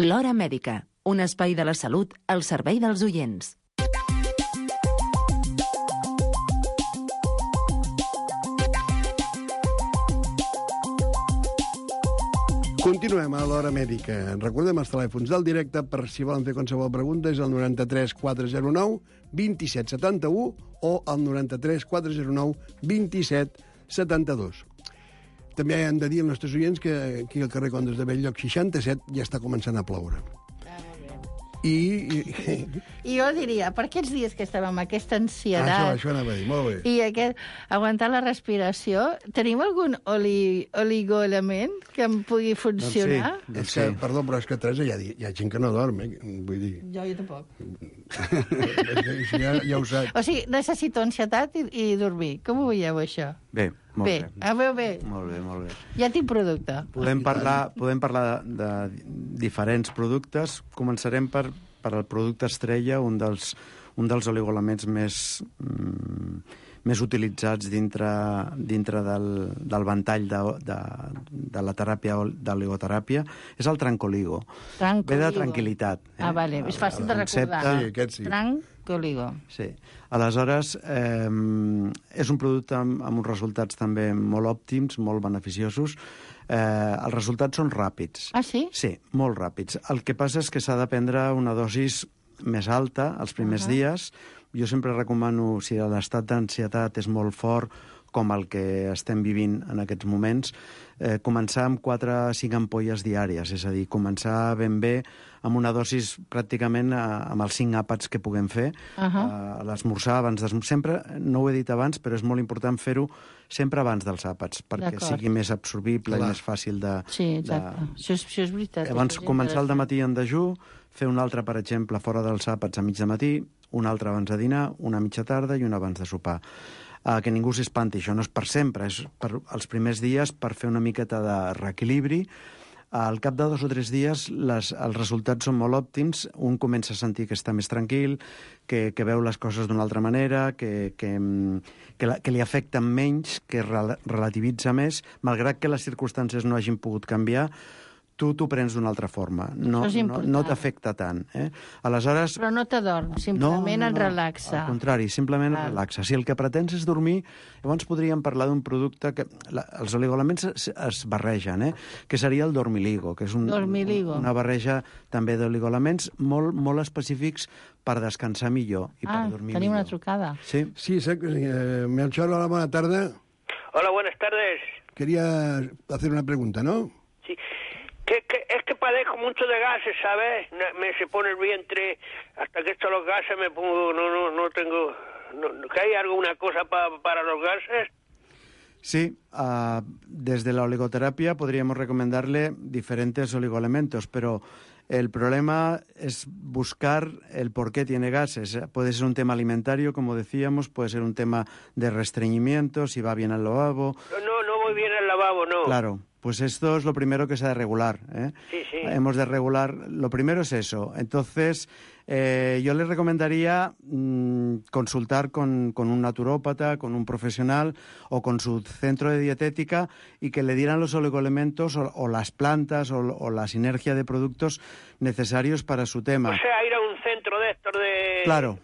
L'Hora Mèdica, un espai de la salut al servei dels oients. Continuem a l'Hora Mèdica. Recordem els telèfons del directe per si volen fer qualsevol pregunta, és el 93 409 27 71 o el 93 409 27 72. També hem de dir als nostres oients que aquí al carrer Condes de Belllloc 67 ja està començant a ploure. I jo diria, per aquests dies que estàvem amb aquesta ansiedat... Això anava a dir, molt bé. I aguantar la respiració, tenim algun oligoelement que em pugui funcionar? Doncs sí. Perdó, però és que Teresa, hi ha gent que no dorm, vull dir... Jo tampoc. Ja ho saps. O sigui, necessito ansietat i dormir. Com ho veieu, això? Bé, molt bé. Veu bé? Molt bé. Ja tinc producte. Podem parlar de diferents productes. Començarem per el producte estrella, un dels oligoelements més utilitzats dintre del ventall de la teràpia d'oligoteràpia, és el Trancoligo. Ve de tranquil·litat. Vale, és fàcil de recordar. Sí, aquest sí. Trancoligo. Sí. Aleshores, és un producte amb uns resultats també molt òptims, molt beneficiosos. Els resultats són ràpids. Ah, sí? Sí, molt ràpids. El que passa és que s'ha de prendre una dosis més alta els primers dies. Jo sempre recomano, si l'estat d'ansietat és molt fort, com el que estem vivint en aquests moments, començar amb 4 o 5 ampolles diàries, és a dir, començar ben bé amb una dosis pràcticament amb els 5 àpats que puguem fer, a l'esmorzar, abans d'esmorzar. Sempre, no ho he dit abans, però és molt important fer-ho sempre abans dels àpats, perquè sigui més absorbible i més fàcil de... Sí, exacte. Això és veritat. Abans començar el dematí en dejú, fer un altre, per exemple, fora dels àpats a mig de matí, un altre abans de dinar, una a mitja tarda i una abans de sopar. Que ningú s'espanti, això no és per sempre, és per els primers dies per fer una miqueta de reequilibri. Al cap de 2 o 3 dies els resultats són molt òptims, un comença a sentir que està més tranquil, que veu les coses d'una altra manera, que li afecten menys, que relativitza més, malgrat que les circumstàncies no hagin pogut canviar, tu t'ho prens d'una altra forma. No t'afecta tant. Aleshores... Però no t'adorm, simplement et relaxa. Al contrari, simplement et relaxa. Si el que pretens és dormir, llavors podríem parlar d'un producte que... Els oligoelements es barregen, que seria el dormiligo, que és una barreja també d'oligoelements molt específics per descansar millor i per dormir millor. Tenim una trucada. Sí, Melchor, hola, buena tarde. Hola, buenas tardes. Quería hacer una pregunta, ¿no? Sí. Es que padezco mucho de gases, ¿sabes? Me se pone el vientre, hasta que esto los gases me pongo, no tengo... ¿Que hay alguna cosa para los gases? Sí, desde la oligoterapia podríamos recomendarle diferentes oligoelementos, pero el problema es buscar el por qué tiene gases. Puede ser un tema alimentario, como decíamos, puede ser un tema de restreñimiento, si va bien al lavabo. No voy bien al lavabo, no. Claro. Pues esto es lo primero que se ha de regular. Sí. Hemos de regular, lo primero es eso. Entonces, yo les recomendaría consultar con un naturópata, con un profesional o con su centro de dietética y que le dieran los oligoelementos o las plantas o la sinergia de productos necesarios para su tema. O sea, ir a un centro de estos de... Claro.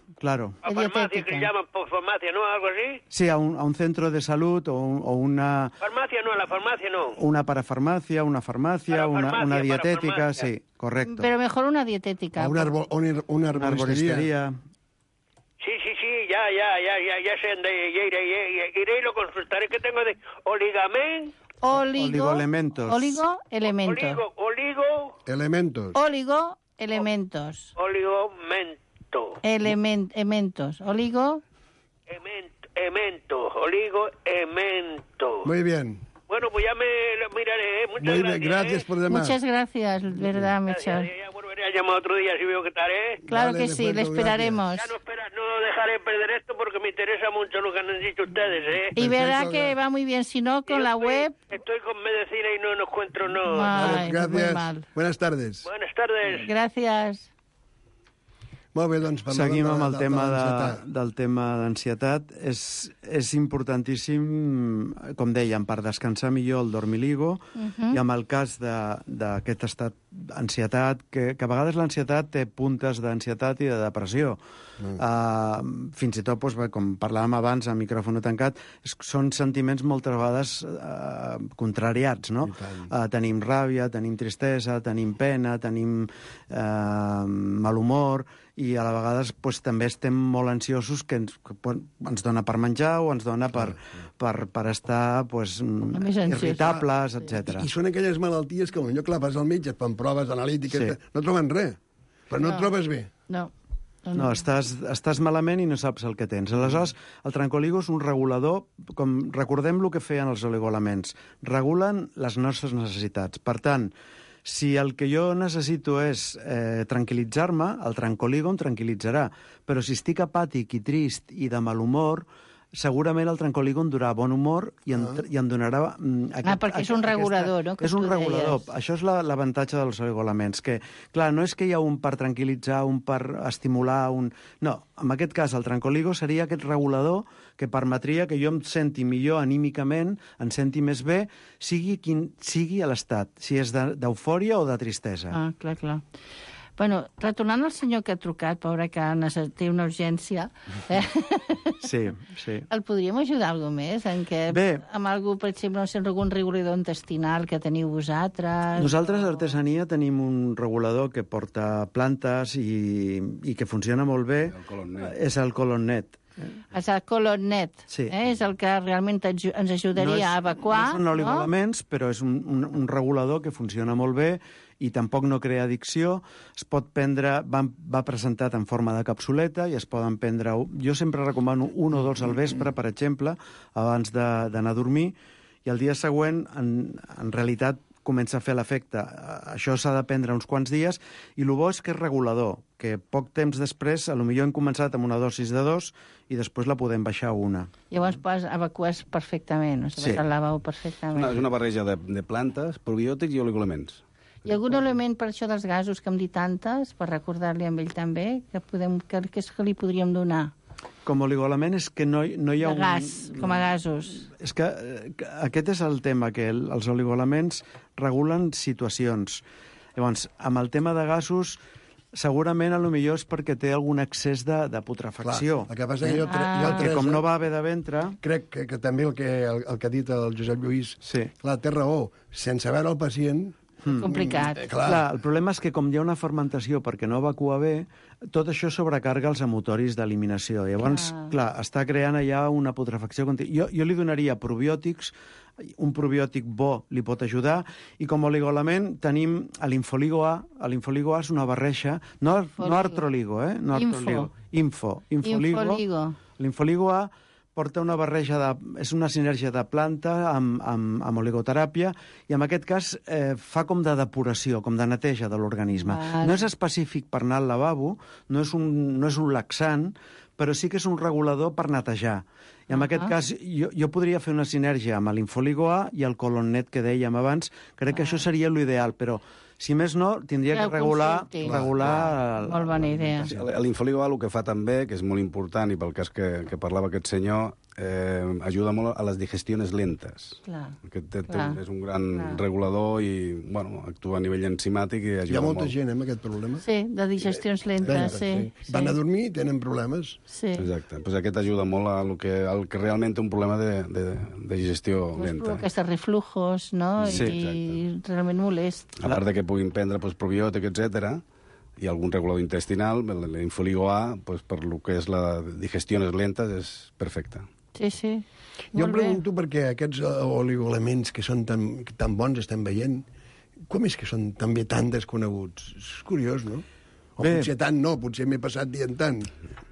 A farmacia, que se llama farmacia, ¿no? ¿Algo así? Sí, a un centro de salud o una... Farmacia no, a la farmacia no. Una parafarmacia, una farmacia, una dietética, sí, correcto. Pero mejor una dietética. Una arboristería. Sí, ya sé dónde iré y lo consultaré, que tengo de oligoelementos. Oligoelementos. Oligoelementos. Oligoelementos. Muy bien. Bueno, pues ya me lo miraré. Muchas gracias. Gracias por llamar. Muchas gracias, verdad, Melchor. Ya volveré a llamar otro día si veo que tal, ¿eh? Claro que sí, le esperaremos. Ya no dejaré perder esto porque me interesa mucho lo que han dicho ustedes, ¿eh? Y verá que va muy bien, si no, con la web... Estoy con medicina y no encuentro, no. Ay, gracias. muy mal. Buenas tardes. Buenas tardes. Gràcies. Molt bé, doncs... Seguim amb el tema d'ansietat. És importantíssim, com dèiem, per descansar millor el dormiligo, i amb el cas d'aquest estat d'ansietat, que a vegades l'ansietat té puntes d'ansietat i de depressió. Fins i tot, com parlàvem abans, a micròfon tancat, són sentiments moltes vegades contrariats, no? Tenim ràbia, tenim tristesa, tenim pena, tenim mal humor, i a la vegades també estem molt ansiosos, que ens dona per menjar o ens dona per estar irritables, etc. I són aquelles malalties que potser clar, vas al metge, et fan proves analítiques, no troben res, però no et trobes bé. No, estàs malament i no saps el que tens. Aleshores, el trancoligo és un regulador, recordem el que feien els oligoelements, regulen les nostres necessitats. Per tant, si el que jo necessito és tranquil·litzar-me, el trancoligo em tranquil·litzarà. Però si estic apàtic i trist i de mal humor, segurament el trancoligo em donarà bon humor i em donarà... perquè és un regulador, no? És un regulador. Això és l'avantatge dels oligoelements, que, clar, no és que hi ha un per tranquil·litzar, un per estimular, No, en aquest cas el trancoligo seria aquest regulador que permetria que jo em senti millor anímicament, em senti més bé, sigui quin sigui l'estat, si és d'eufòria o de tristesa. Clar. Bueno, retornant al senyor que ha trucat, pobre, que té una urgència... Sí. El podríem ajudar alguna més? Amb algú, per exemple, algun regulador intestinal que teniu vosaltres? Nosaltres, a Artesania, tenim un regulador que porta plantes i que funciona molt bé. És el Colonnet. És el Colonnet. Sí. És el que realment ens ajudaria a evacuar. No són oligoelements, però és un regulador que funciona molt bé i tampoc no crea addicció. Es pot prendre, va presentat en forma de capsuleta i es poden prendre... Jo sempre recomano 1 o 2 al vespre, per exemple, abans d'anar a dormir, i el dia següent, en realitat, comença a fer l'efecte. Això s'ha de prendre uns quants dies, i el bo és que és regulador, que poc temps després, potser hem començat amb una dosis de 2 i després la podem baixar a 1. Llavors evacues perfectament, vas al lavabo perfectament. És una barreja de plantes, probiòtics i oligoelements. I algun element per això dels gasos que hem dit tantes, per recordar-li a ell també, que li podríem donar? com a oligoelement és que no hi ha De gas, com a gasos. És que aquest és el tema, que els oligoelements regulen situacions. Llavors, amb el tema de gasos, segurament, potser és perquè té algun excés de putrefacció. Clar, el que passa és que jo que com no va bé de ventre... Crec que també el que ha dit el Josep Lluís, sí. Clar, té raó. Sense veure el pacient... Complicat. Clar, el problema és que com hi ha una fermentació perquè no evacua bé, tot això sobrecarga els emotoris d'eliminació. Llavors, clar, està creant allà una putrefacció contínua. Jo li donaria probiòtics, un probiòtic bo li pot ajudar, i com a oligoelement tenim l'Infoligo A. L'Infoligo A és una barreja, no artroligo, no artroligo. Infoligo. L'Infoligo A porta una barreja és una sinergia de planta amb oligoteràpia, i en aquest cas fa com de depuració, com de neteja de l'organisme. No és específic per anar al lavabo, no és un laxant, però sí que és un regulador per netejar. I en aquest cas jo podria fer una sinergia amb l'Infoligo A i el Colonnet que dèiem abans. Crec que això seria l'ideal, però si més no, tindria que regular... Molt bona idea. L'Infoligo A el que fa també, que és molt important, i pel cas que parlava aquest senyor, ajuda molt a les digestions lentes. És un gran regulador i actua a nivell enzimàtic i ajuda molt. Hi ha molta gent amb aquest problema. Sí, de digestions lentes, sí. Van a dormir i tenen problemes. Sí. Exacte. Pues aquest ajuda molt al que realment té un problema de digestió lenta. Aquests reflujos, no? Sí, i realment molest. A part de que puguin prendre probiòtic, etc., i algun regulador intestinal, l'Infoligo A, per lo que és la digestió lentes, és perfecta. Sí, sí. Jo em pregunto perquè aquests oligoelements que són tan bons estem veient, com és que són també tan desconeguts? És curiós, no? O potser tant no, potser m'he passat dient tant.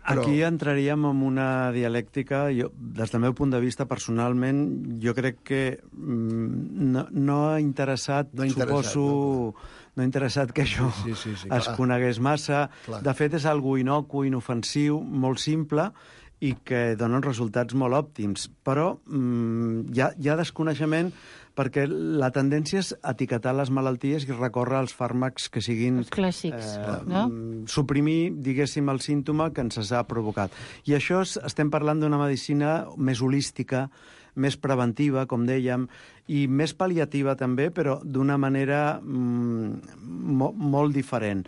Però... Aquí entraríem en una dialèctica. Des del meu punt de vista, personalment, jo crec que no ha interessat, suposo... No ha interessat que això es conegués massa. Clar. De fet, és algo inocu, inofensiu, molt simple, i que donen resultats molt òptims. Però hi ha desconeixement perquè la tendència és etiquetar les malalties i recórrer als fàrmacs que siguin... Els clàssics, no? Suprimir, diguéssim, el símptoma que ens ha provocat. I això estem parlant d'una medicina més holística, més preventiva, com dèiem, i més pal·liativa també, però d'una manera molt diferent.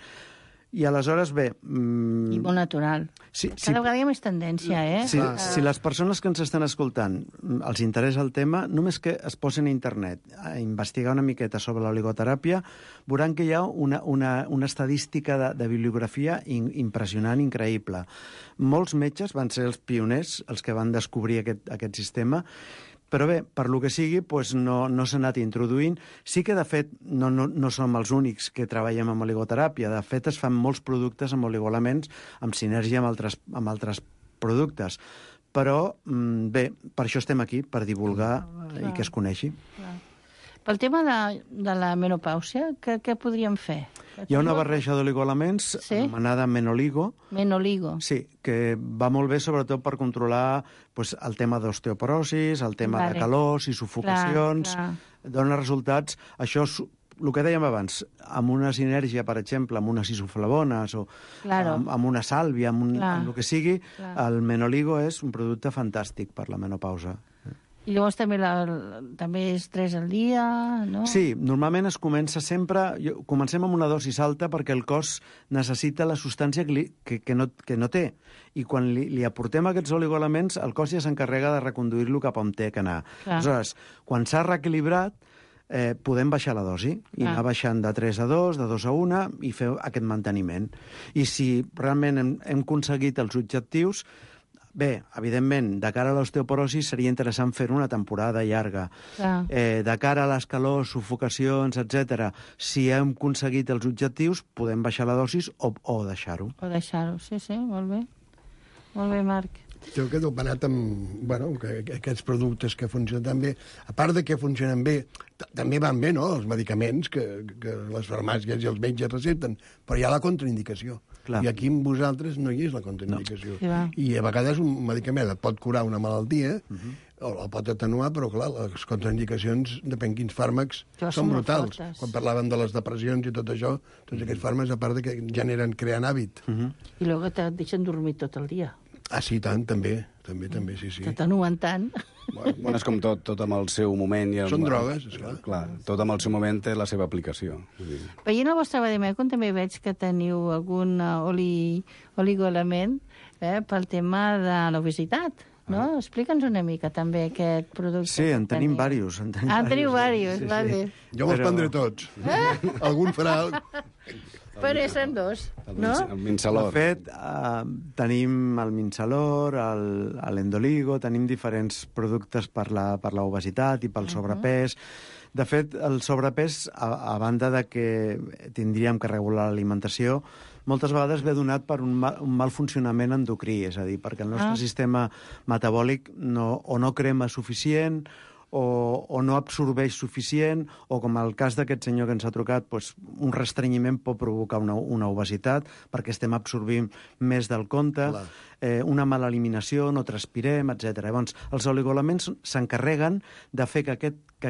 I aleshores, bé... I molt natural. Cada vegada hi ha més tendència, Si les persones que ens estan escoltant els interessa el tema, només que es posin a internet a investigar una miqueta sobre l'oligoteràpia, veuran que hi ha una estadística de bibliografia impressionant, increïble. Molts metges van ser els pioners, els que van descobrir aquest sistema, però bé, per lo que sigui, no s'ha anat introduint. Sí que, de fet, no som els únics que treballem amb oligoteràpia. De fet, es fan molts productes amb oligoelements, amb sinergia amb altres productes. Però, bé, per això estem aquí, per divulgar i que es coneixi. Pel tema de la menopàusia, què podríem fer? Hi ha una barreja d'oligoelements anomenada Menoligo. Menoligo. Sí, que va molt bé sobretot per controlar el tema d'osteoporosis, el tema de calors i sufocacions. Dona resultats. Això és el que dèiem abans, amb una sinergia, per exemple, amb unes isoflavones o amb una sàlvia, amb el que sigui, el Menoligo és un producte fantàstic per la menopausa. I llavors també és 3 al dia, no? Sí, normalment es comença sempre... Comencem amb una dosis alta perquè el cos necessita la substància que no té. I quan li aportem aquests oligoelements, el cos ja s'encarrega de reconduir-lo cap on té que anar. Aleshores, quan s'ha reequilibrat, podem baixar la dosi i anar baixant de 3 a 2, de 2 a 1 i fer aquest manteniment. I si realment hem aconseguit els objectius... Bé, evidentment, de cara a l'osteoporosi seria interessant fer una temporada llarga. De cara a les calors, sufocacions, etc. Si hem aconseguit els objectius, podem baixar la dosis o deixar-ho. O deixar-ho, sí, molt bé. Molt bé, Marc. Jo quedo penat amb aquests productes que funcionen tan bé. A part de que funcionen bé, també van bé, no?, els medicaments que les farmàcies i els metges recepten, però hi ha la contraindicació. I aquí amb vosaltres no hi és la contraindicació. I a vegades un medicament et pot curar una malaltia o el pot atenuar, però clar, les contraindicacions, depèn quins fàrmacs, són brutals. Quan parlàvem de les depressions i tot això, tots aquests fàrmacs, a part de que creant hàbit. I després et deixen dormir tot el dia. Ah, sí, tant, també, sí. Tot anuentant. Bueno, és com tot amb el seu moment. Són drogues, esclar. Clar, tot amb el seu moment té la seva aplicació. Veient el vostre vademecum també veig que teniu algun oligoelement pel tema de l'obesitat. No? Explica'ns una mica també aquest producte. Sí, en tenim diversos. En teniu diversos, vale. Jo me'ls prendré tots. Algun farà... Però són dos, no? El Minsalor. De fet, tenim el Minsalor, l'Endoligo, tenim diferents productes per l'obesitat i pel sobrepès. De fet, el sobrepès, a banda de que tindríem que regular l'alimentació, moltes vegades ve donat per un mal funcionament endocrí, és a dir, perquè el nostre sistema metabòlic o no crema suficient, o no absorbeix suficient, o com el cas d'aquest senyor que ens ha trucat, doncs, un restrenyiment pot provocar una obesitat perquè estem absorbint més del compte, una mala eliminació, no transpirem, etc. Llavors, els oligoelements s'encarreguen de fer que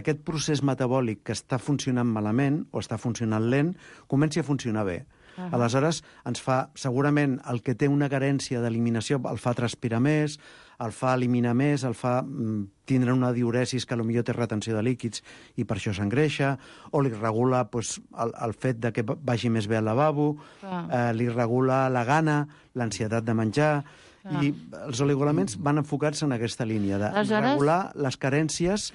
aquest procés metabòlic que està funcionant malament o està funcionant lent comenci a funcionar bé. Aleshores, ens fa, segurament, el que té una carència d'eliminació el fa transpirar més, el fa eliminar més, el fa tindre una diuresis que potser té retenció de líquids i per això s'engreixa, o li regula el fet de que vagi més bé al lavabo, li regula la gana, l'ansietat de menjar, i els oligoelements van enfocats en aquesta línia, de regular les carències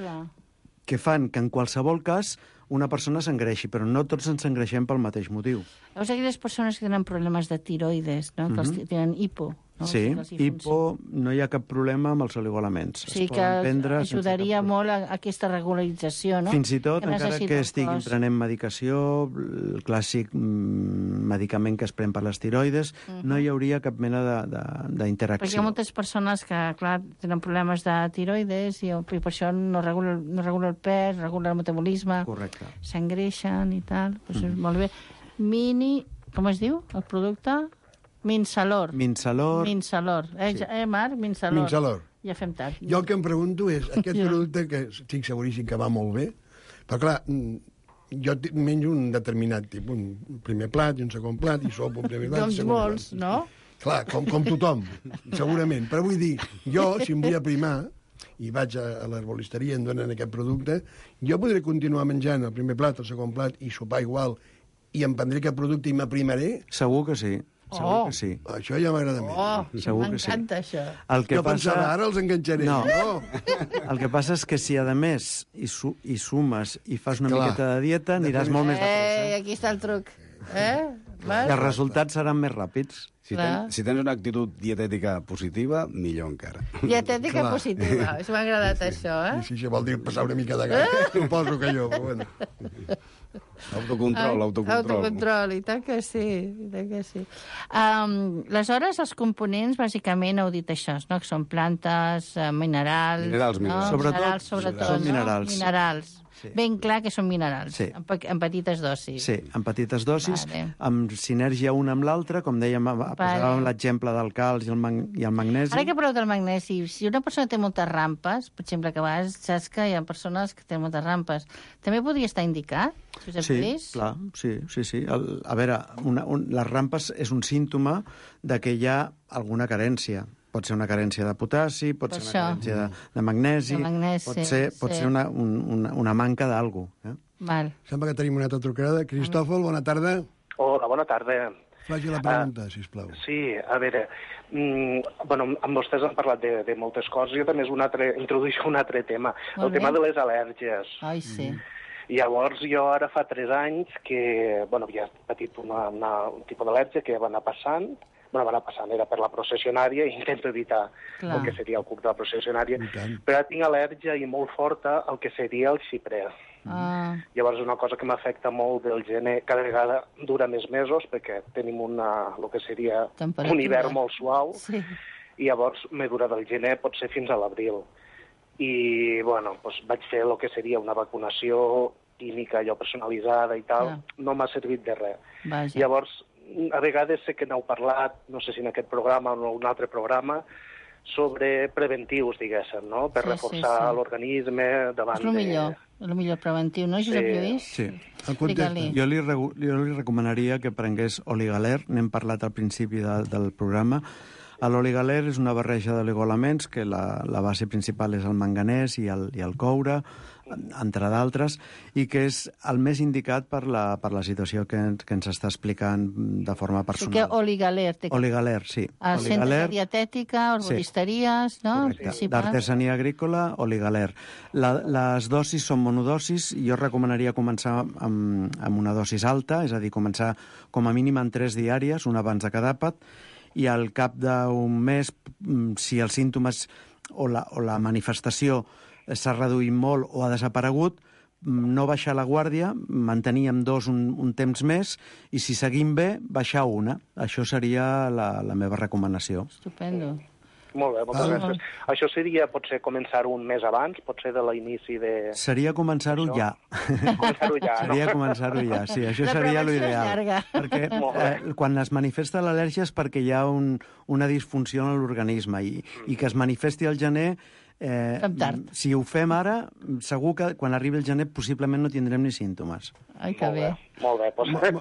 que fan que en qualsevol cas una persona s'engreixi, però no tots ens engreixem pel mateix motiu. Veus aquelles persones que tenen problemes de tiroides, no? Que tenen hipo. No? Sí, hipo, no hi ha cap problema amb els oligoelements. Sí, que ajudaria molt a aquesta regularització, no? Fins i tot, encara que estiguin prenent medicació, el clàssic medicament que es pren per les tiroides, no hi hauria cap mena d'interacció. Perquè hi ha moltes persones que, clar, tenen problemes de tiroides i per això no regula el pes, regula el metabolisme, s'engreixen i tal. Molt bé. Com es diu, el producte? Minsalor. Minsalor. Marc? Minsalor. Ja fem tard. Jo el que em pregunto és, aquest producte, que estic seguríssim que va molt bé, però clar, jo menjo un determinat tipus, un primer plat i un segon plat, i sopo un primer plat i un segon plat. Doncs molts, no? Clar, com tothom, segurament. Però vull dir, jo, si em vull aprimar, i vaig a l'herbolisteria i em donen aquest producte, jo podré continuar menjant el primer plat, el segon plat, i sopar igual, i em prendré aquest producte i m'aprimaré? Segur que sí. Segur que sí. Això ja m'agrada més. M'encanta això. Jo pensava, ara els enganxaré. No. El que passa és que si, a més, hi sumes i fas una miqueta de dieta, aniràs molt més de pressa. Aquí està el truc. I els resultats seran més ràpids. Si tens una actitud dietètica positiva, millor encara. Dietètica positiva. M'ha agradat això, Sí, això vol dir passar una mica de gana. Suposo que jo, però bueno. Autocontrol, i tant que sí. Aleshores, els components, bàsicament, heu dit això, no? Que són plantes, minerals... Sobretot. Són minerals. Minerals. Sí. Ben clar que són minerals, sí. En petites dosis. Sí, en petites dosis, amb sinergia una amb l'altra, com dèiem, posàvem l'exemple del calç i el magnesi. Ara que parleu del magnesi, si una persona té moltes rampes, per exemple, que a vegades saps que hi ha persones que tenen moltes rampes, també podria estar indicat? Sí, clar, sí. A veure, les rampes és un símptoma de que hi ha alguna carència. Pot ser una carència de potassi, pot ser una carència de magnesi, pot ser una manca d'algú. Sembla que tenim una altra trucada. Cristòfol, bona tarda. Hola, bona tarda. Faci la pregunta, sisplau. Sí, a veure, amb vostès han parlat de moltes coses, jo també introdueixo un altre tema, el tema de les al·lèrgies. Ai, sí. Llavors, jo ara fa 3 anys que havia patit un tipus d'al·lèrgia que va anar passant, era per la processionària i intento evitar el que seria el cuc de la processionària, però ara tinc al·lèrgia i molt forta al que seria el xiprer. Llavors és una cosa que m'afecta molt del gener, cada vegada dura més mesos perquè tenim el que seria un hivern molt suau i llavors me dura del gener, pot ser fins a l'abril. I vaig fer el que seria una vacunació química, allò personalitzada i tal, no m'ha servit de res. Llavors, a vegades sé que n'heu parlat, no sé si en aquest programa o en un altre programa, sobre preventius, diguéssim, no? Per reforçar l'organisme davant de... És el millor preventiu, no, Josep Lluís? Sí. Jo li recomanaria que prengués Oligaler, n'hem parlat al principi del programa. L'oligaler és una barreja d'oligoelements que la base principal és el manganès i el coure, entre d'altres, i que és el més indicat per la situació que ens està explicant de forma personal. Perquè oligaler. Oligaler, sí. El centre de dietètica, arboristeries, no? D'artesania agrícola, oligaler. Les dosis són monodosis. Jo recomanaria començar amb una dosis alta, és a dir, començar com a mínim en 3 diàries, una abans de cada àpat, i al cap d'un mes, si els símptomes o la manifestació s'ha reduït molt o ha desaparegut, no baixar la guàrdia, mantenir amb 2 un temps més, i si seguim bé, baixar 1. Això seria la meva recomanació. Estupendo. Molt bé, moltes gràcies. Això seria, potser, començar un mes abans? Potser de l'inici de... Seria començar-ho ja. Començar-ho ja, no? Seria començar-ho ja, sí. Això seria l'ideal. Perquè quan es manifesta l'al·lèrgia és perquè hi ha una disfunció en l'organisme i que es manifesti al gener... si ho fem ara, segur que quan arribi el gener possiblement no tindrem ni símptomes. Ai, que bé. Molt bé,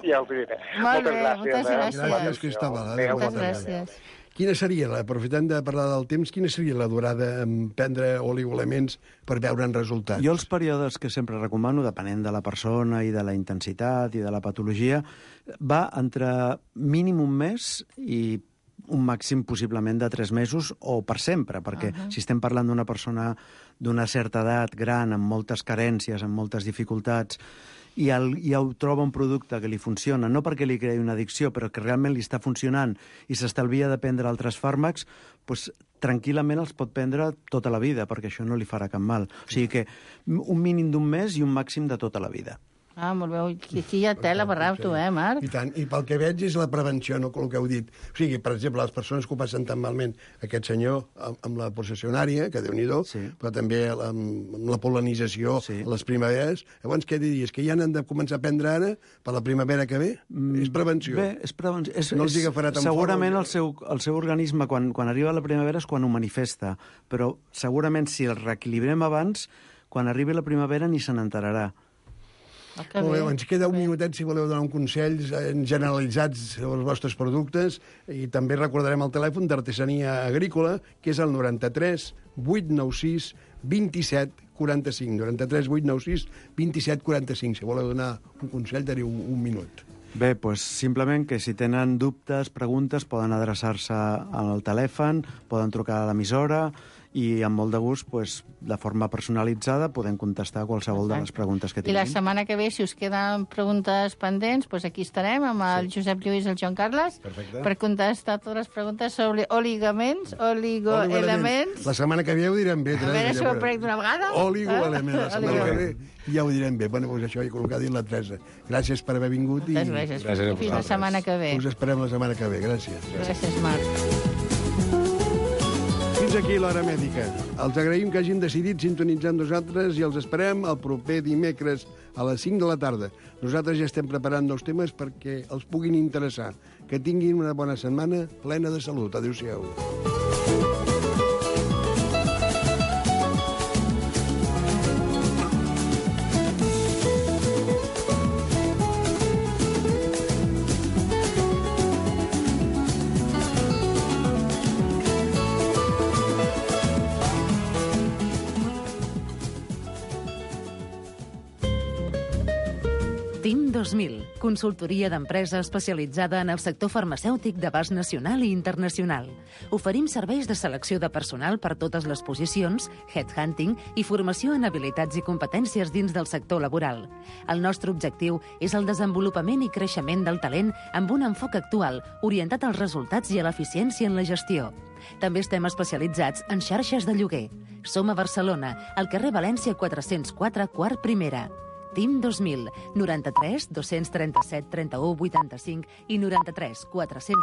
ja ho diré. Moltes gràcies. Gràcies, Cristóbal. Moltes gràcies. Quina seria, aprofitant de parlar del temps, quina seria la durada en prendre oligoelements per veure'n resultats? Jo els períodes que sempre recomano, depenent de la persona i de la intensitat i de la patologia, va entre mínim un mes i un màxim possiblement de 3 mesos o per sempre, perquè si estem parlant d'una persona d'una certa edat, gran, amb moltes carències, amb moltes dificultats, i troba un producte que li funciona, no perquè li creï una addicció, però que realment li està funcionant i s'estalvia de prendre altres fàrmacs, doncs tranquil·lament els pot prendre tota la vida, perquè això no li farà cap mal. O sigui que un mínim d'un mes i un màxim de tota la vida. Ah, molt bé. Aquí hi ha tela per rap, tu, Marc? I tant. I pel que veig és la prevenció, no el que heu dit. O sigui, per exemple, les persones que ho passen tan malment, aquest senyor amb la possessionària, que Déu-n'hi-do, però també amb la pol·lenització a les primaveres, llavors què diries? Que ja n'han de començar a prendre ara per la primavera que ve? És prevenció. Bé, és prevenció. No els agafarà tan segurament el seu organisme, quan arriba la primavera, és quan ho manifesta. Però segurament si el reequilibrem abans, quan arribi la primavera ni se n'enterarà. Molt bé, ens queda un minutet si voleu donar un consell generalitzats sobre els vostres productes, i també recordarem el telèfon d'Artesania Agrícola, que és el 93 896 27 45. 93 896 27 45. Si voleu donar un consell, teniu un minut. Bé, doncs simplement que si tenen dubtes, preguntes, poden adreçar-se al telèfon, poden trucar a l'emissora, i amb molt de gust, de forma personalitzada, podem contestar qualsevol de les preguntes que tinguin. I la setmana que ve, si us queden preguntes pendents, aquí estarem amb el Josep Lluís i el Joan Carles per contestar totes les preguntes sobre oligoelements. La setmana que ve ho direm bé. A veure si ho aparec d'una vegada. Oligoelements. La setmana que ve ja ho direm bé. Bueno, doncs això, he col·locat dit la Teresa. Gràcies per haver vingut. Gràcies. Fins la setmana que ve. Us esperem la setmana que ve. Gràcies. Gràcies, Marc. Fins aquí l'Hora Mèdica. Els agraïm que hagin decidit sintonitzar amb nosaltres i els esperem el proper dimecres a les 5 de la tarda. Nosaltres ja estem preparant nous temes perquè els puguin interessar. Que tinguin una bona setmana plena de salut. Adéu-siau. TIM 2000, consultoria d'empresa especialitzada en el sector farmacèutic d'abast nacional i internacional. Oferim serveis de selecció de personal per totes les posicions, headhunting i formació en habilitats i competències dins del sector laboral. El nostre objectiu és el desenvolupament i creixement del talent amb un enfoc actual, orientat als resultats i a l'eficiència en la gestió. També estem especialitzats en xarxes de lloguer. Som a Barcelona, al carrer València 404, quart primera. TIM 2000, 93 237 31 85 i 93 400